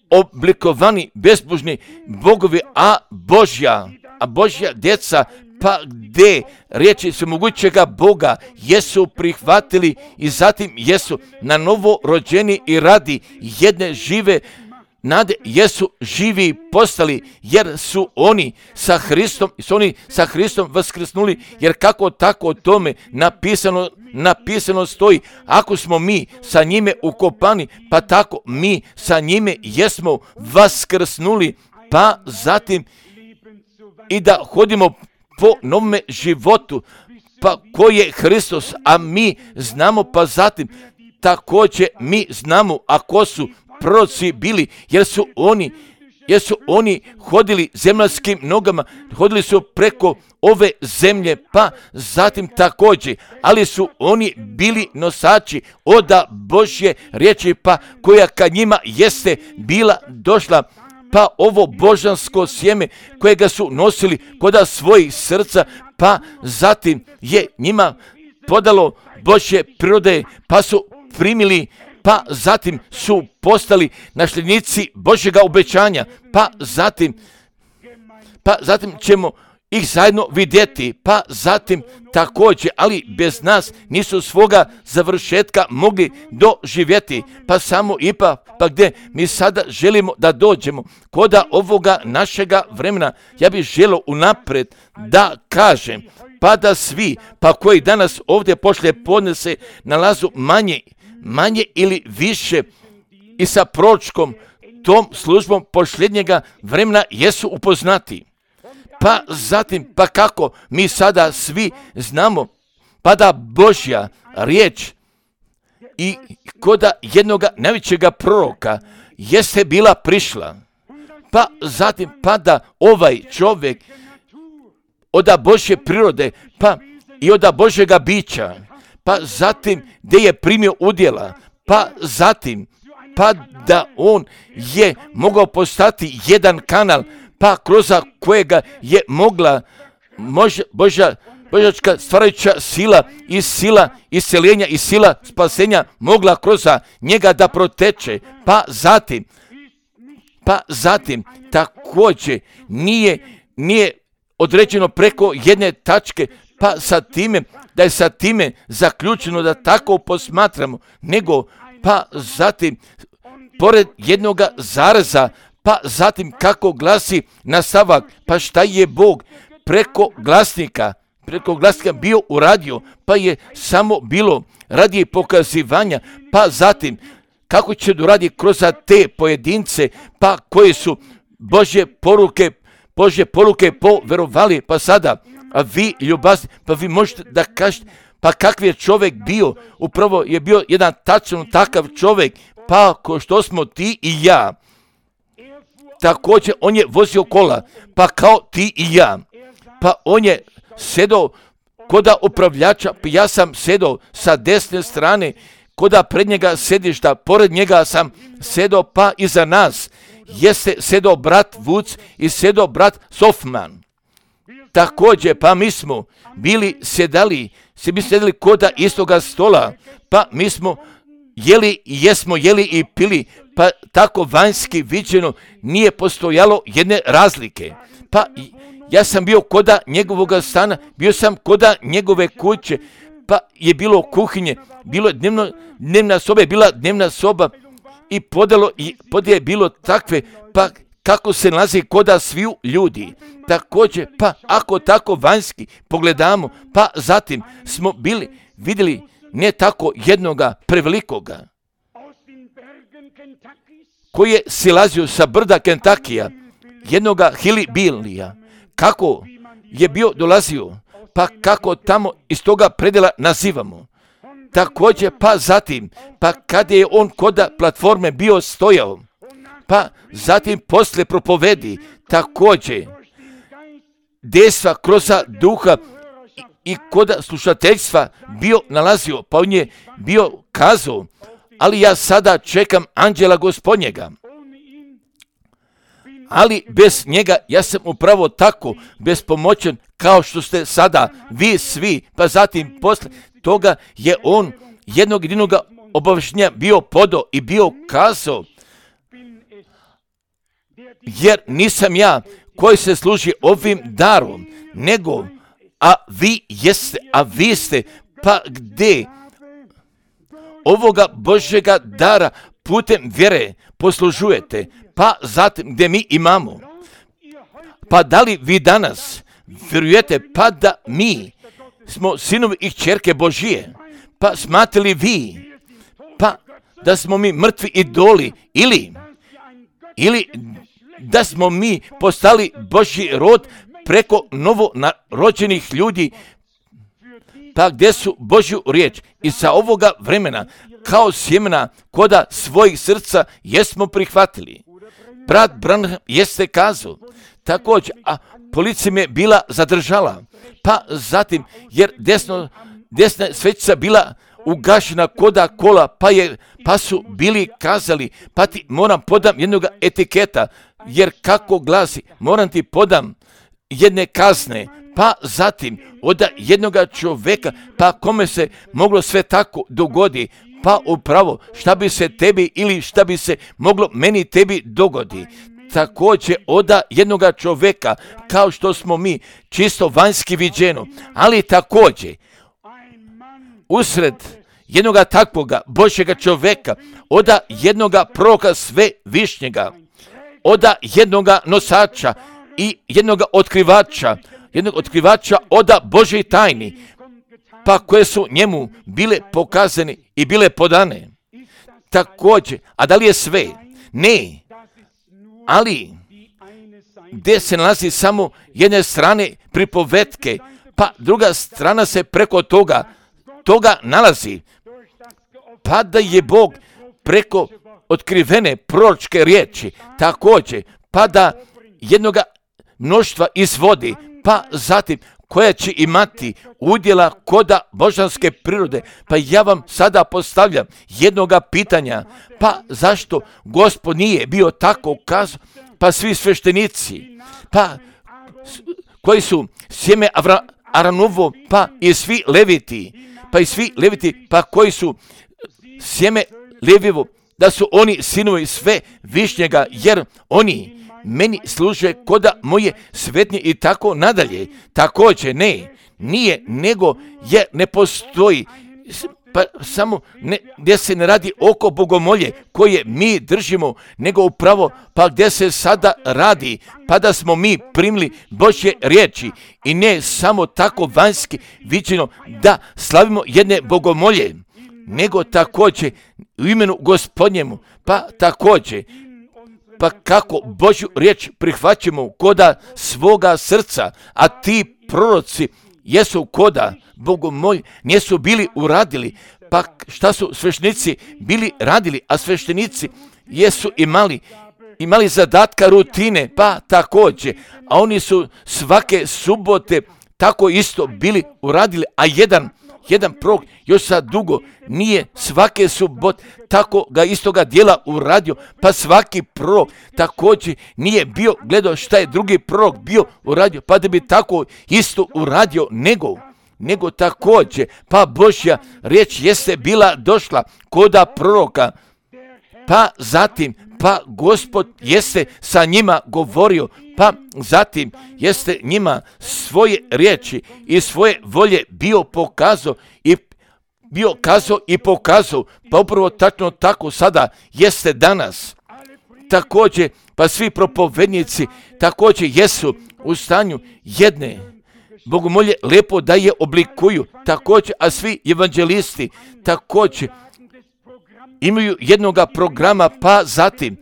oblikovani bezbožni bogovi, a Božja, a Božja djeca, pa gdje riječi svemogućega Boga jesu prihvatili i zatim jesu na novo rođeni i radi jedne žive nade, jesu živi postali, jer su oni sa Hristom, su oni sa Hristom vaskrsnuli, jer kako tako o tome napisano, napisano stoji, ako smo mi sa njime ukopani, pa tako mi sa njime jesmo vaskrsnuli, pa zatim i da hodimo po novome životu, pa koji je Hristos, a mi znamo, pa zatim također mi znamo, a ko su proroci bili, jer su oni, jer su oni hodili zemaljskim nogama, hodili su preko ove zemlje, pa zatim također, ali su oni bili nosači oda Božje riječi, pa koja ka njima jeste bila došla, pa ovo božansko sjeme kojega su nosili koda svojih srca, pa zatim je njima podalo Božje prirode, pa su primili, pa zatim su postali nasljednici Božjega obećanja, pa zatim, pa zatim ćemo ih zajedno vidjeti, pa zatim također, ali bez nas nisu svoga završetka mogli doživjeti, pa samo ipak, pa gdje mi sada želimo da dođemo, koda ovoga našega vremena, ja bih želio unaprijed da kažem, pa da svi, pa koji danas ovdje poslije podne se nalazu manje, manje ili više i sa proročkom tom službom posljednjega vremena jesu upoznati. Pa zatim, pa kako mi sada svi znamo, pa da Božja riječ i koda jednoga najvećega proroka jeste bila prišla. Pa zatim, pa da ovaj čovjek od Božje prirode, pa i od Božjega bića, pa zatim gdje je primio udjela, pa zatim, pa da on je mogao postati jedan kanal, pa kroz kojega je mogla Božja, Božja, božačka stvarajuća sila i sila isceljenja i sila spasenja mogla kroz njega da proteče. Pa zatim, pa zatim također nije, nije određeno preko jedne tačke, pa sa time, da je sa time zaključeno da tako posmatramo, nego pa zatim pored jednoga zareza, pa zatim kako glasi nastavak, pa šta je Bog preko glasnika, preko glasnika bio uradio, pa je samo bilo radi pokazivanja, pa zatim kako će doradi kroz te pojedince, pa koji su Božje poruke, Božje poruke poverovali, pa sada, a vi ljubazni, pa vi možete da kažete, pa kakav je čovjek bio, upravo je bio jedan tačno takav čovjek, pa ko što smo ti i ja. Također on je vozio kola, pa kao ti i ja. Pa on je sedao koda upravljača, pa ja sam sedao sa desne strane, koda pred njega sedišta, pored njega sam sedao, pa iza nas jeste sedao brat Vuc i sedao brat Sofman. Također, pa mi smo bili sedali, se mi sedali koda istoga stola, pa mi smo jeli, jesmo jeli i pili, pa tako vanjski viđeno nije postojalo jedne razlike. Pa ja sam bio koda njegovoga stana, bio sam koda njegove kuće, pa je bilo kuhinje, bilo je dnevno, dnevna soba je bila dnevna soba i podelo i podje je bilo takve, pa kako se nalazi koda sviju ljudi. Također, pa ako tako vanjski pogledamo, pa zatim smo bili, vidjeli ne tako jednoga prevelikoga, koji je silazio sa brda Kentakija, jednoga Hillbilija, kako je bio dolazio, pa kako tamo iz toga predjela nazivamo. Također, pa zatim, pa kad je on koda platforme bio stojao, pa zatim posle propovedi, također, dejstva kroz duha i, i koda slušateljstva bio nalazio, pa on je bio kazao, ali ja sada čekam anđela Gospodnjega. Ali bez njega ja sam upravo tako bespomoćen kao što ste sada vi svi, pa zatim posle toga je on jednog jedinog obavještenja bio podao i bio kazao, jer nisam ja koji se služi ovim darom, nego, a vi jeste, a vi ste, pa gdje ovoga Božjega dara putem vjere poslužujete, pa zatim gdje mi imamo. Pa da li vi danas vjerujete pa da mi smo sinovi i kćerke Božije, pa smatrali vi pa da smo mi mrtvi idoli ili ili da smo mi postali Božji rod preko novonarođenih ljudi, pa gdje su Božju riječ i sa ovoga vremena kao sjemena koda svojih srca jesmo prihvatili. Brat Branham jeste kazao, također, a policija me bila zadržala, pa zatim, jer desno, desna svećica bila ugašena koda kola, pa, je, pa su bili kazali, pa ti moram podam jednog etiketa, jer kako glasi, moram ti podam jedne kazne, pa zatim od jednoga čovjeka, pa kome se moglo sve tako dogodi, pa upravo šta bi se tebi ili šta bi se moglo meni tebi dogodi. također oda jednoga čovjeka, kao što smo mi, čisto vanjski viđeno, ali također usred jednoga takvoga Božjega čovjeka, oda jednoga proroka sve višnjega, oda jednoga nosača i jednoga otkrivača, jednog otkrivača oda Božje tajni, pa koje su njemu bile pokazane i bile podane. Također, a da li je sve? Ne, ali gdje se nalazi samo jedne strane pripovetke, pa druga strana se preko toga, toga nalazi, pa da je Bog preko otkrivene proročke riječi, također, pa da jednoga mnoštva izvodi, pa zatim koja će imati udjela koda božanske prirode. Pa ja vam sada postavljam jednoga pitanja, pa zašto Gospod nije bio tako kazao, pa svi sveštenici, pa koji su sjeme Aronovo, pa i svi leviti, pa i svi leviti, pa koji su sjeme Levijevo, da su oni sinovi sve višnjega, jer oni meni služe koda moje svetnje i tako nadalje. Također ne, nije, nego je ne postoji, pa samo ne, gdje se ne radi oko bogomolje koje mi držimo, nego upravo pa gdje se sada radi, pa da smo mi primili Božje riječi i ne samo tako vanjski viđeno da slavimo jedne bogomolje, nego također u imenu Gospodnjemu, pa također pa kako Božju riječ prihvaćamo koda svoga srca, a ti proroci jesu koda bogomolji, nisu bili uradili, pa šta su sveštenici bili radili, a sveštenici jesu imali, imali zadatka rutine, pa također, a oni su svake subote tako isto bili uradili, a jedan Jedan prorok još sad dugo nije svake subote tako ga istoga dijela uradio, pa svaki prorok također nije bio gledao šta je drugi prorok bio uradio, pa da bi tako isto uradio, nego, nego također, pa Božja riječ jeste bila došla koda proroka, pa zatim, pa Gospod jeste sa njima govorio, pa zatim jeste njima svoje riječi i svoje volje bio pokazao i bio kazao i pokazao, pa upravo tačno tako sada jeste danas. Također, pa svi propovednici također jesu u stanju jedne bogomolje lepo da je oblikuju, također, a svi evanđelisti također imaju jednoga programa, pa zatim,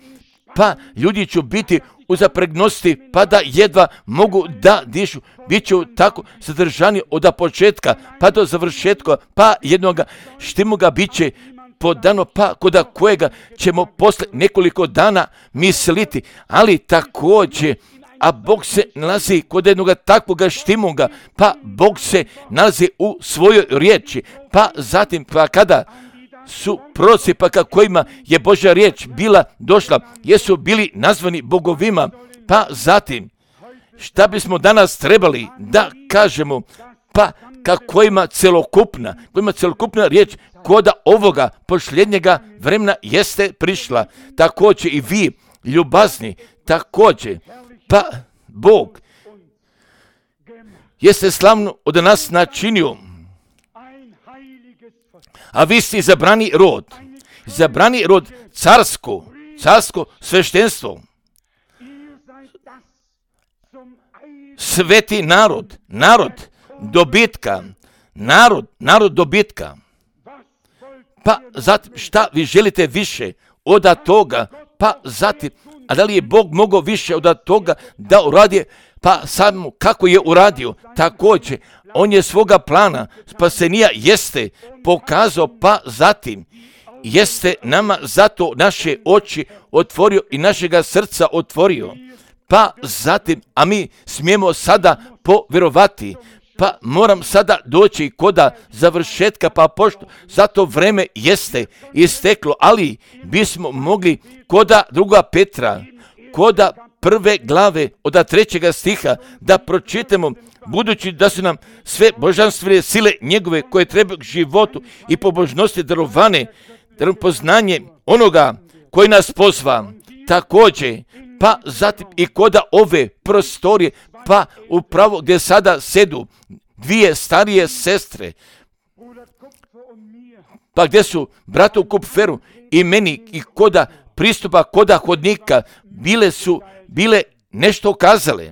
pa ljudi će biti u zapregnosti, pa da jedva mogu da dišu, bit će tako sadržani od početka, pa do završetka, pa jednoga štimoga bit će podano, pa koda kojega ćemo posle nekoliko dana misliti, ali također, a Bog se nalazi kod jednoga takvoga štimoga, pa Bog se nalazi u svojoj riječi, pa zatim, pa kada su proroci, pa ka kojima je Božja riječ bila došla, jesu bili nazvani bogovima, pa zatim, šta bismo danas trebali da kažemo, pa ka kojima celokupna, kojima celokupna riječ koda ovoga posljednjega vremena jeste prišla, također i vi, ljubazni, također, pa Bog jeste slavno od nas načinio, a vi ste izabrani rod, izabrani rod carsko, carsko sveštenstvo, sveti narod, narod dobitka, narod, narod dobitka. Pa zatim, šta vi želite više od toga, pa zatim, a da li je Bog mogao više od toga da uradi, pa samo kako je uradio, također, on je svoga plana spasenija jeste pokazao, pa zatim jeste nama zato naše oči otvorio i našega srca otvorio, pa zatim, a mi smijemo sada povjerovati, pa moram sada doći koda završetka, pa pošto zato vreme jeste isteklo, ali bismo mogli koda druga Petra, koda prve glave od trećega stiha da pročitamo, budući da su nam sve božanstvene sile njegove koje trebaju k životu i pobožnosti darovane, poznanje onoga koji nas pozva, također pa zatim i koda ove prostorije, pa upravo gdje sada sedu dvije starije sestre, pa gdje su bratu Kupferu i meni i koda pristupa, koda hodnika, bile su, bile nešto kazale.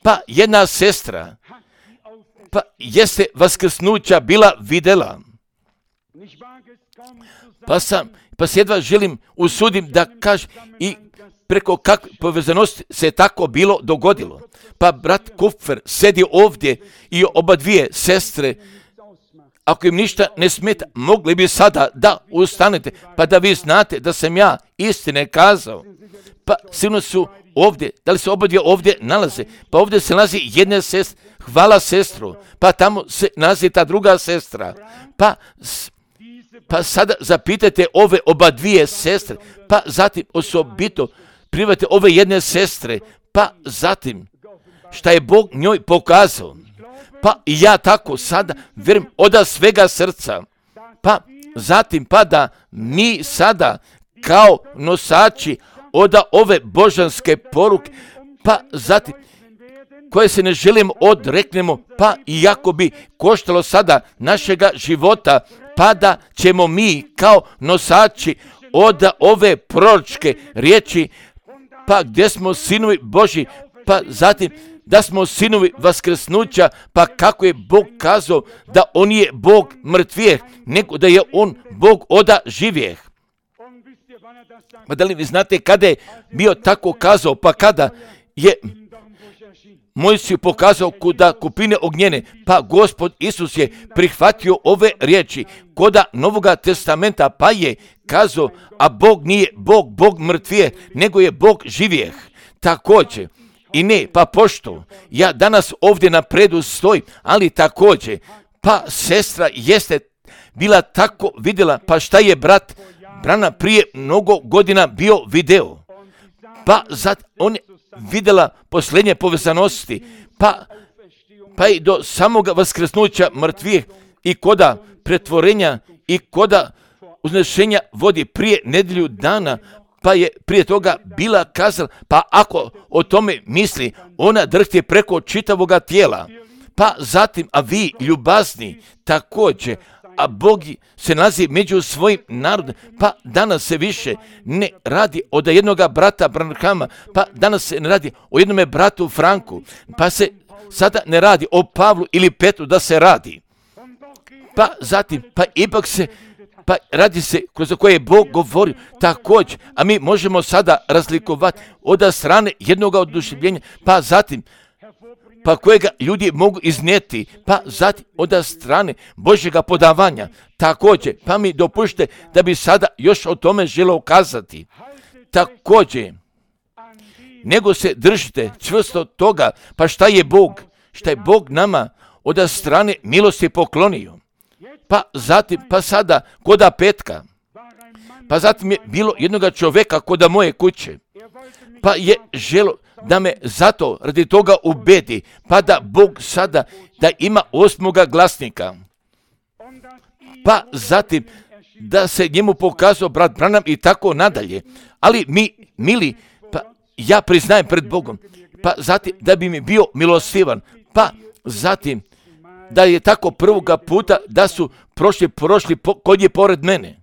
Pa jedna sestra, pa jeste vaskrsnuća bila vidjela. Pa sam, pa se jedva želim, usudim da kažem i preko kakve povezanosti se tako bilo dogodilo. Pa brat Kupfer sedi ovdje i oba dvije sestre, ako im ništa ne smeta, mogli bi sada da ustanete, pa da vi znate da sam ja istine kazao. Pa sigurno su ovdje, da li se oba dvije ovdje nalaze, pa ovdje se nalazi jedna sestra, hvala sestru, pa tamo se nalazi ta druga sestra, pa Pa sada zapitajte ove oba dvije sestre, pa zatim osobito private ove jedne sestre, pa zatim šta je Bog njoj pokazao. Pa i ja tako sada vjerujem od svega srca. Pa zatim pa da mi sada kao nosači od ove božanske poruke, pa zatim koje se ne želimo odreknemo, pa iako bi koštalo sada našega života, pa da ćemo mi kao nosači od ove proročke riječi, pa gdje smo sinovi Božji, pa zatim da smo sinovi vaskrsnuća, pa kako je Bog kazao da on je Bog mrtvijeh, nego da je on Bog oda živijeh. Pa da li vi znate kada je bio tako kazao, pa kada je Mojsiju pokazao kuda kupine ognjene, pa Gospod Isus je prihvatio ove riječi koda Novoga testamenta, pa je kazao, a Bog nije Bog, Bog mrtvije, nego je Bog živijeh. Također, i ne, pa pošto ja danas ovdje napredu stojim, ali također, pa sestra jeste bila tako vidjela, pa šta je brat Brana prije mnogo godina bio video, pa zat on je vidjela posljednje povezanosti, pa, pa i do samoga vaskrsnuća mrtvih i koda pretvorenja i koda uznešenja vodi prije nedjelju dana, pa je prije toga bila kazala, pa ako o tome misli, ona drhti preko čitavoga tijela. Pa zatim, a vi ljubazni također, a Bog se nalazi među svojim narodom, pa danas se više ne radi od jednoga brata Branhama, pa danas se ne radi o jednome bratu Franku, pa se sada ne radi o Pavlu ili Petru da se radi. Pa zatim, pa ipak se, pa radi se kroz koje je Bog govorio također, a mi možemo sada razlikovati od strane jednoga oduševljenja, pa zatim, pa kojega ljudi mogu iznijeti, pa zatim od strane Božjega podavanja. Također, pa mi dopušte da bi sada još o tome želeo kazati. Također, nego se držite čvrsto toga, pa šta je Bog, šta je Bog nama od strane milosti poklonio. Pa zatim, pa sada koda petka, pa zatim je bilo jednoga čovjeka koda moje kuće, pa je želo da me zato radi toga ubedi, pa da Bog sada da ima osmoga glasnika. Pa zatim da se njemu pokazao brat Branham i tako nadalje. Ali mi, mili, pa ja priznajem pred Bogom, pa zatim da bi mi bio milostivan, pa zatim da je tako prvoga puta da su prošli, prošli po, kod je pored mene.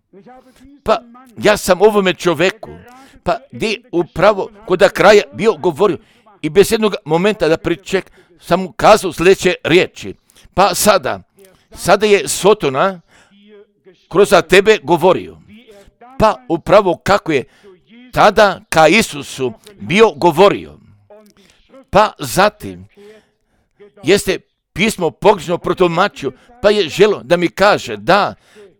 Pa ja sam ovome čoveku, pa gdje upravo kod kraja bio govorio i bez jednog momenta da priček sam mu kazao sljedeće riječi. Pa sada, sada je Sotona kroz tebe govorio. Pa upravo kako je tada ka Isusu bio govorio. Pa zatim jeste pismo pogrešno protumačio, pa je želo da mi kaže da,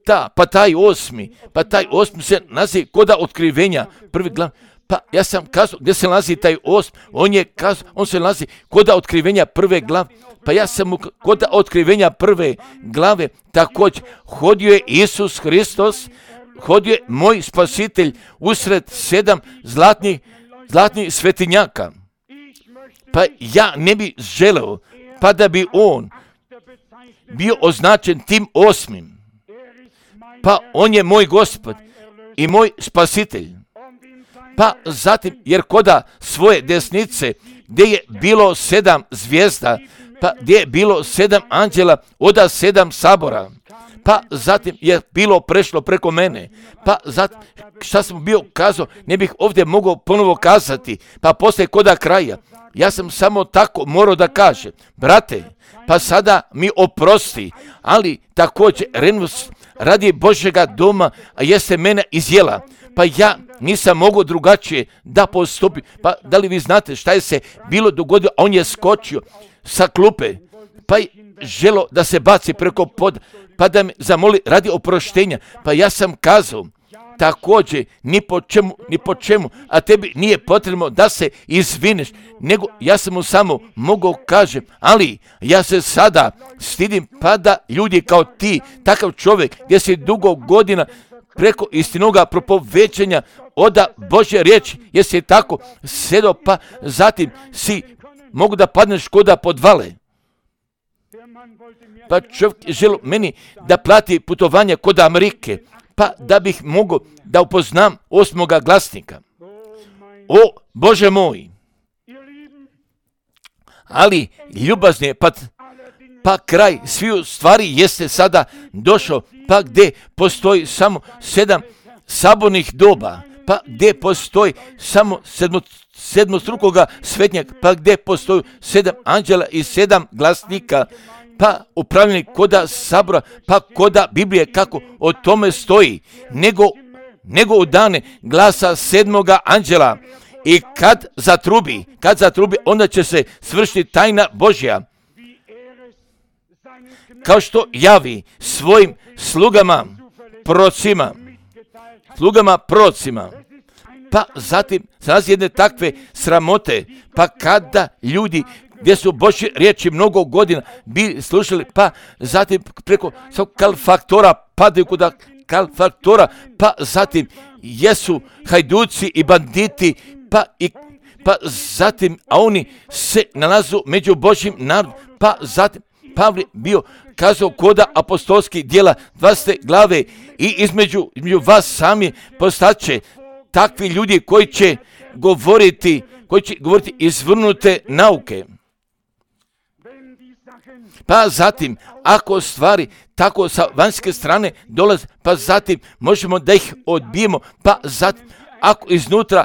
ta, pa taj osmi, pa taj osmi se naziva koda otkrivenja prvi glav. Pa ja sam kazao gdje se nalazi taj osmi, on je kazao, on se nalazi koda otkrivenja prve glave. Pa ja sam mu koda otkrivenja prve glave također hodio je Isus Hristos, hodio je moj spasitelj usred sedam zlatnih, zlatnih svetinjaka. Pa ja ne bi želeo pa da bi on bio označen tim osmim. Pa on je moj Gospod i moj spasitelj. pa zatim, jer koda svoje desnice, gdje je bilo sedam zvijezda, pa gdje je bilo sedam anđela, oda sedam sabora, pa zatim je bilo prešlo preko mene, pa zatim, šta sam bio kazao, ne bih ovdje mogao ponovo kazati, pa poslije koda kraja, ja sam samo tako morao da kažem, brate, pa sada mi oprosti, ali također Renus radi Božjega doma, a jeste mene izjela, pa ja nisam mogao drugačije da postupim. Pa da li vi znate šta je se bilo dogodilo? On je skočio sa klupe, pa je želo da se baci preko poda, pa da me zamoli radi oproštenja. Pa ja sam kazao, također, ni po čemu, ni po čemu, a tebi nije potrebno da se izvineš, nego ja sam mu samo mogao kažem, ali ja se sada stidim, pa da ljudi kao ti, takav čovjek, gdje si dugo godina preko istinoga propovećanja oda Božje riječi, jesi tako sedo, pa zatim si mogu da padneš koda podvale. Pa čovjek želi meni da plati putovanje kod Amerike, pa da bih mogao da upoznam osmoga glasnika. O Bože moj! Ali ljubazni, pa, pa kraj sviju stvari jeste sada došao, pa gdje postoji samo sedam sabornih doba, pa gdje postoji samo sedmo, sedmostrukoga svetnjaka, pa gdje postoji sedam anđela i sedam glasnika, pa upravljeni koda sabora, pa koda Biblije kako o tome stoji, nego, nego u dane glasa sedmoga anđela i kad zatrubi, kad zatrubi, onda će se svršiti tajna Božja, kao što javi svojim slugama, prorocima, slugama prorocima. Pa zatim nalazi jedne takve sramote, pa kada ljudi gdje su Božje riječi mnogo godina bili slušali, pa zatim preko svog kalfaktora padaju kod kalfaktora, pa zatim jesu hajduci i banditi, pa i pa zatim, a oni se nalazu među Božjim narodom, pa zatim Pavle bio kazao koda apostolskih djela dvadesete glave i između, između vas sami postaće takvi ljudi koji će govoriti, koji će govoriti izvrnute nauke. Pa zatim, ako stvari tako sa vanjske strane dolaze, pa zatim možemo da ih odbijemo, pa zatim, ako iznutra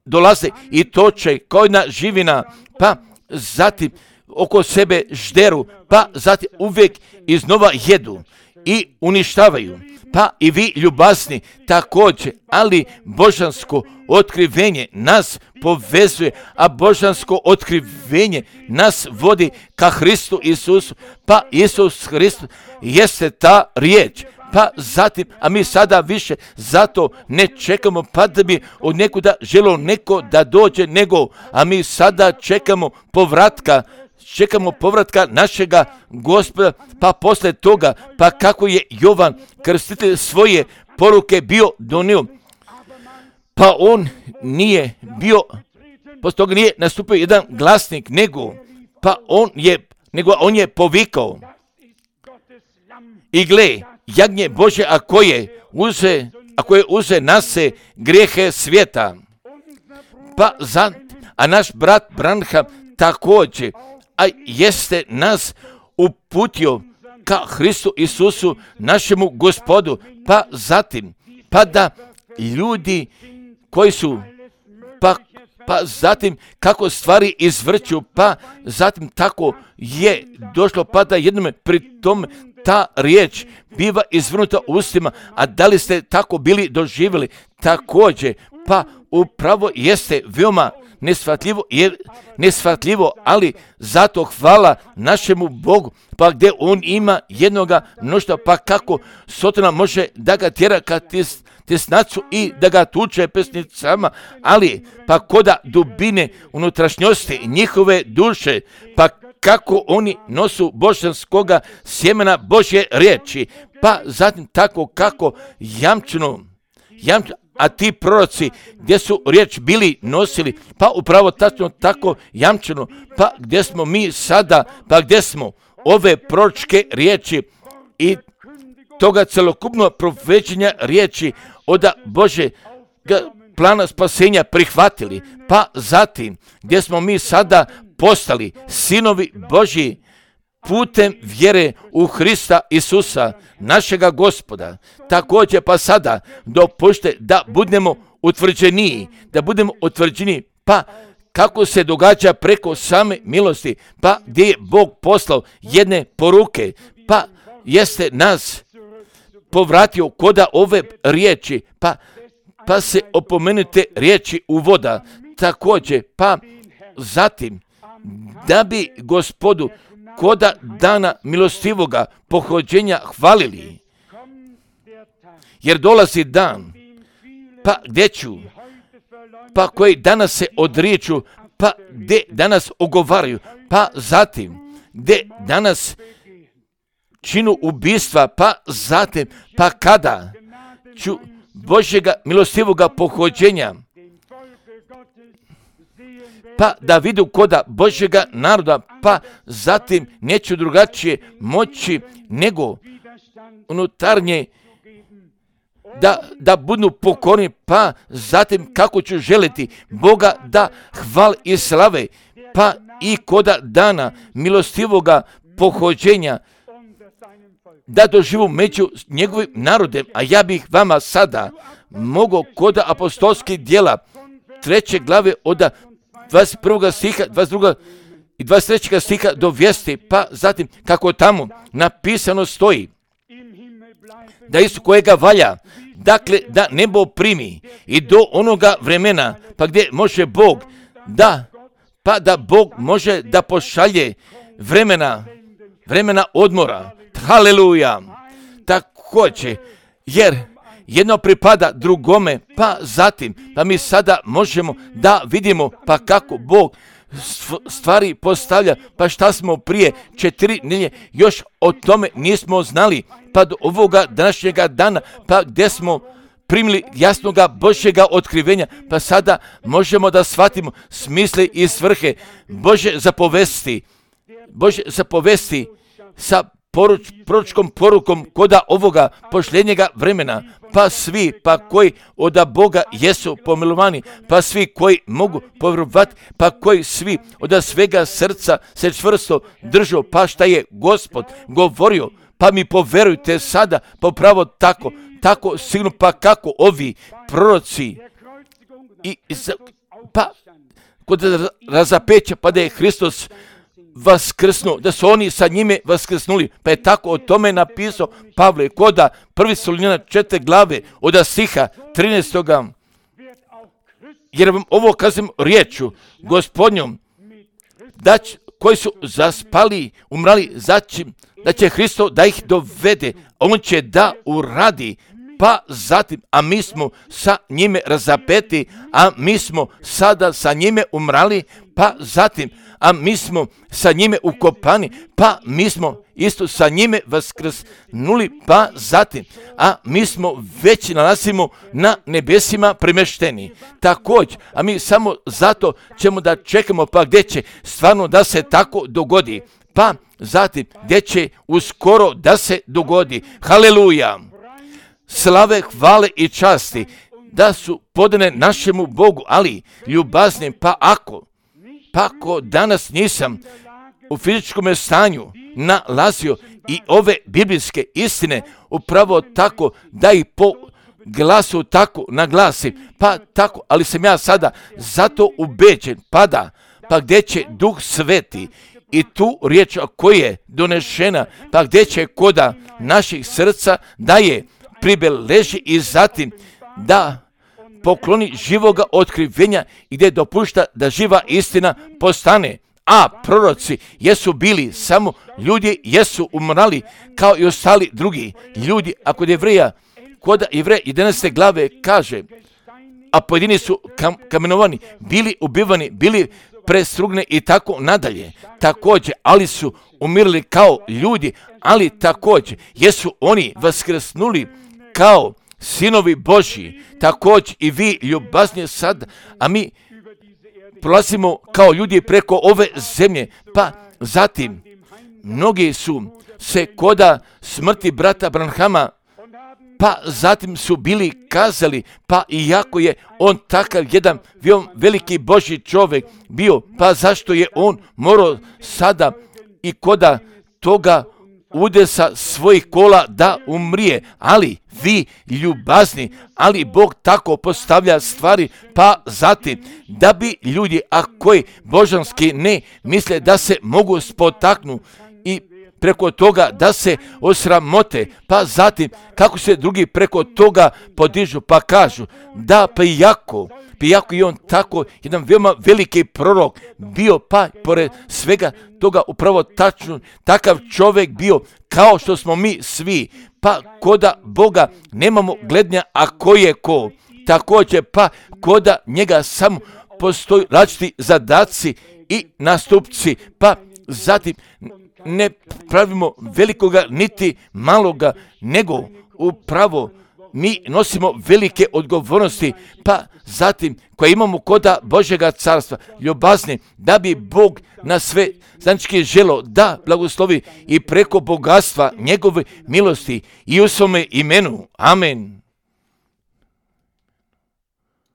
dolaze i toče kao jedna živina, pa zatim oko sebe žderu, pa zatim uvijek iznova jedu i uništavaju. Pa i vi ljubazni također, ali božansko otkrivenje nas povezuje, a božansko otkrivenje nas vodi ka Hristu Isusu, pa Isus Hristus jeste ta riječ. Pa zatim, a mi sada više zato ne čekamo pa da bi od nekuda želo neko da dođe, nego, a mi sada čekamo povratka, čekamo povratka našega Gospoda, pa posle toga, pa kako je Jovan Krstitelj svoje poruke bio donio, pa on nije bio, posle toga nije nastupio jedan glasnik, nego, pa on je, nego on je povikao, i gle, jagnje Bože, a koje uze, a koje uze nase grijehe svijeta. Pa za, a naš brat Branham također, a jeste nas uputio ka Hristu Isusu, našemu Gospodu, pa zatim, pa da ljudi koji su, pa, pa zatim kako stvari izvrću, pa zatim tako je došlo, pa da jednome pri tome ta riječ biva izvrnuta ustima, a da li ste tako bili doživjeli također, pa upravo jeste veoma neshvatljivo, je neshvatljivo, ali zato hvala našemu Bogu, pa gdje on ima jednoga mnoštva, pa kako Sotona može da ga tjera ka tis, tesnacu i da ga tuče pesnicama, ali pa koda dubine unutrašnjosti njihove duše, pa kako oni nosu božanskoga sjemena Božje riječi, pa zatim tako kako jamčeno, jamčeno, a ti proroci gdje su riječ bili nosili, pa upravo tačno tako jamčeno, pa gdje smo mi sada, pa gdje smo ove proročke riječi i toga celokupnog profećenja riječi oda Bože, plana spasenja prihvatili, pa zatim gdje smo mi sada postali sinovi Božji putem vjere u Hrista Isusa, našega Gospoda. Također pa sada dopušte da budemo utvrđeniji, da budemo utvrđeni, pa kako se događa preko same milosti, pa gdje je Bog poslao jedne poruke, pa jeste nas povratio koda ove riječi, pa, pa se opomenute riječi uvoda, također, pa zatim, da bi Gospodu koda dana milostivoga pohođenja hvalili, jer dolazi dan, pa gdje ću, pa koji danas se odriču, pa gdje danas ogovaraju, pa zatim, gdje danas činu ubistva, pa zatim, pa kada ću Božjega milostivoga pohođenja, pa da vidu koda Božjega naroda, pa zatim neću drugačije moći nego unutarnje da, da budu pokorni, pa zatim kako ću želiti Boga da hval i slave, pa i koda dana milostivoga pohođenja, da doživu među njegovim narodem, a ja bih vama sada mogao koda apostolskih djela treće glave od dvadeset prvog stiha, dvadeset drugog i dvadeset trećeg stiha dovesti, pa zatim kako tamo napisano stoji, da Isus kojega valja, dakle da nebo primi i do onoga vremena, pa gdje može Bog da, pa da Bog može da pošalje vremena, vremena odmora. Haleluja! Također, jer jedno pripada drugome, pa zatim, pa mi sada možemo da vidimo pa kako Bog stvari postavlja, pa šta smo prije četiri nedjelje još o tome nismo znali, pa do ovoga današnjega dana, pa gdje smo primili jasnoga Božjega otkrivenja, pa sada možemo da shvatimo smisle i svrhe Božje zapovesti, Božje zapovesti sa poruč, proročkom porukom koda ovoga posljednjega vremena, pa svi pa koji od Boga jesu pomilovani, pa svi koji mogu povjerovati, pa koji svi od svega srca se čvrsto držu, pa šta je Gospod govorio, pa mi poverujte sada popravo tako, tako sigurno, pa kako ovi proroci i, pa kod razapeća, pa da je Hristos vaskrsnuo, da su oni sa njime vaskrsnuli, pa je tako o tome napisao Pavle koda prvi Solunjana četiri glave od stiha trinaestoga. Jer vam ovo kažem riječu Gospodnjom, da će, koji su zaspali, umrali, začim, da će Hristo da ih dovede, on će da uradi, pa zatim, a mi smo sa njime razapeti, a mi smo sada sa njime umrali, pa zatim, a mi smo sa njime ukopani, pa mi smo isto sa njime vaskrsnuli, pa zatim, a mi smo već nalazimo na nebesima premješteni. Također, a mi samo zato ćemo da čekamo, pa gdje će stvarno da se tako dogodi, pa zatim gdje će uskoro da se dogodi. Haleluja! Slave, hvale i časti da su podane našemu Bogu, ali ljubaznim, pa ako, pa ako danas nisam u fizičkom stanju nalazio i ove biblijske istine upravo tako da ih po glasu tako naglasim, pa tako, ali sam ja sada zato ubeđen, pa da, pa gdje će Duh Sveti i tu riječ koja je donešena, pa gdje će koda naših srca da je pribeleži i zatim da pokloni živoga otkrivenja i gdje dopušta da živa istina postane. A proroci jesu bili samo ljudi, jesu umrali kao i ostali drugi ljudi. A kod Jevreja, kod Jevreja jedanaeste glave kaže, a pojedini su kam, kamenovani, bili ubivani, bili prestrugne i tako nadalje. Također, ali su umirali kao ljudi, ali također jesu oni vaskrsnuli kao sinovi Božji. Također i vi ljubaznije sad, a mi prolazimo kao ljudi preko ove zemlje, pa zatim mnogi su se koda smrti brata Branhama pa zatim su bili kazali, pa iako je on takav jedan veliki Božji čovjek bio, pa zašto je on morao sada i koda toga udesa svojih kola da umrije, ali vi ljubazni, ali Bog tako postavlja stvari, pa zatim da bi ljudi, a koji božanski ne misle da se mogu spotaknu i preko toga da se osramote, pa zatim kako se drugi preko toga podižu, pa kažu da pa iako, pa iako je on tako jedan veoma veliki prorok bio, pa pored svega toga upravo tačno takav čovjek bio kao što smo mi svi, pa koda Boga nemamo glednja, a ko je ko, također pa koda njega samo postoji različiti zadaci i nastupci, pa zatim ne pravimo velikoga niti maloga, nego upravo mi nosimo velike odgovornosti, pa zatim koje imamo koda Božjega carstva, ljubazni, da bi Bog na sve znači želo da blagoslovi i preko bogatstva njegove milosti i u svome imenu. Amen.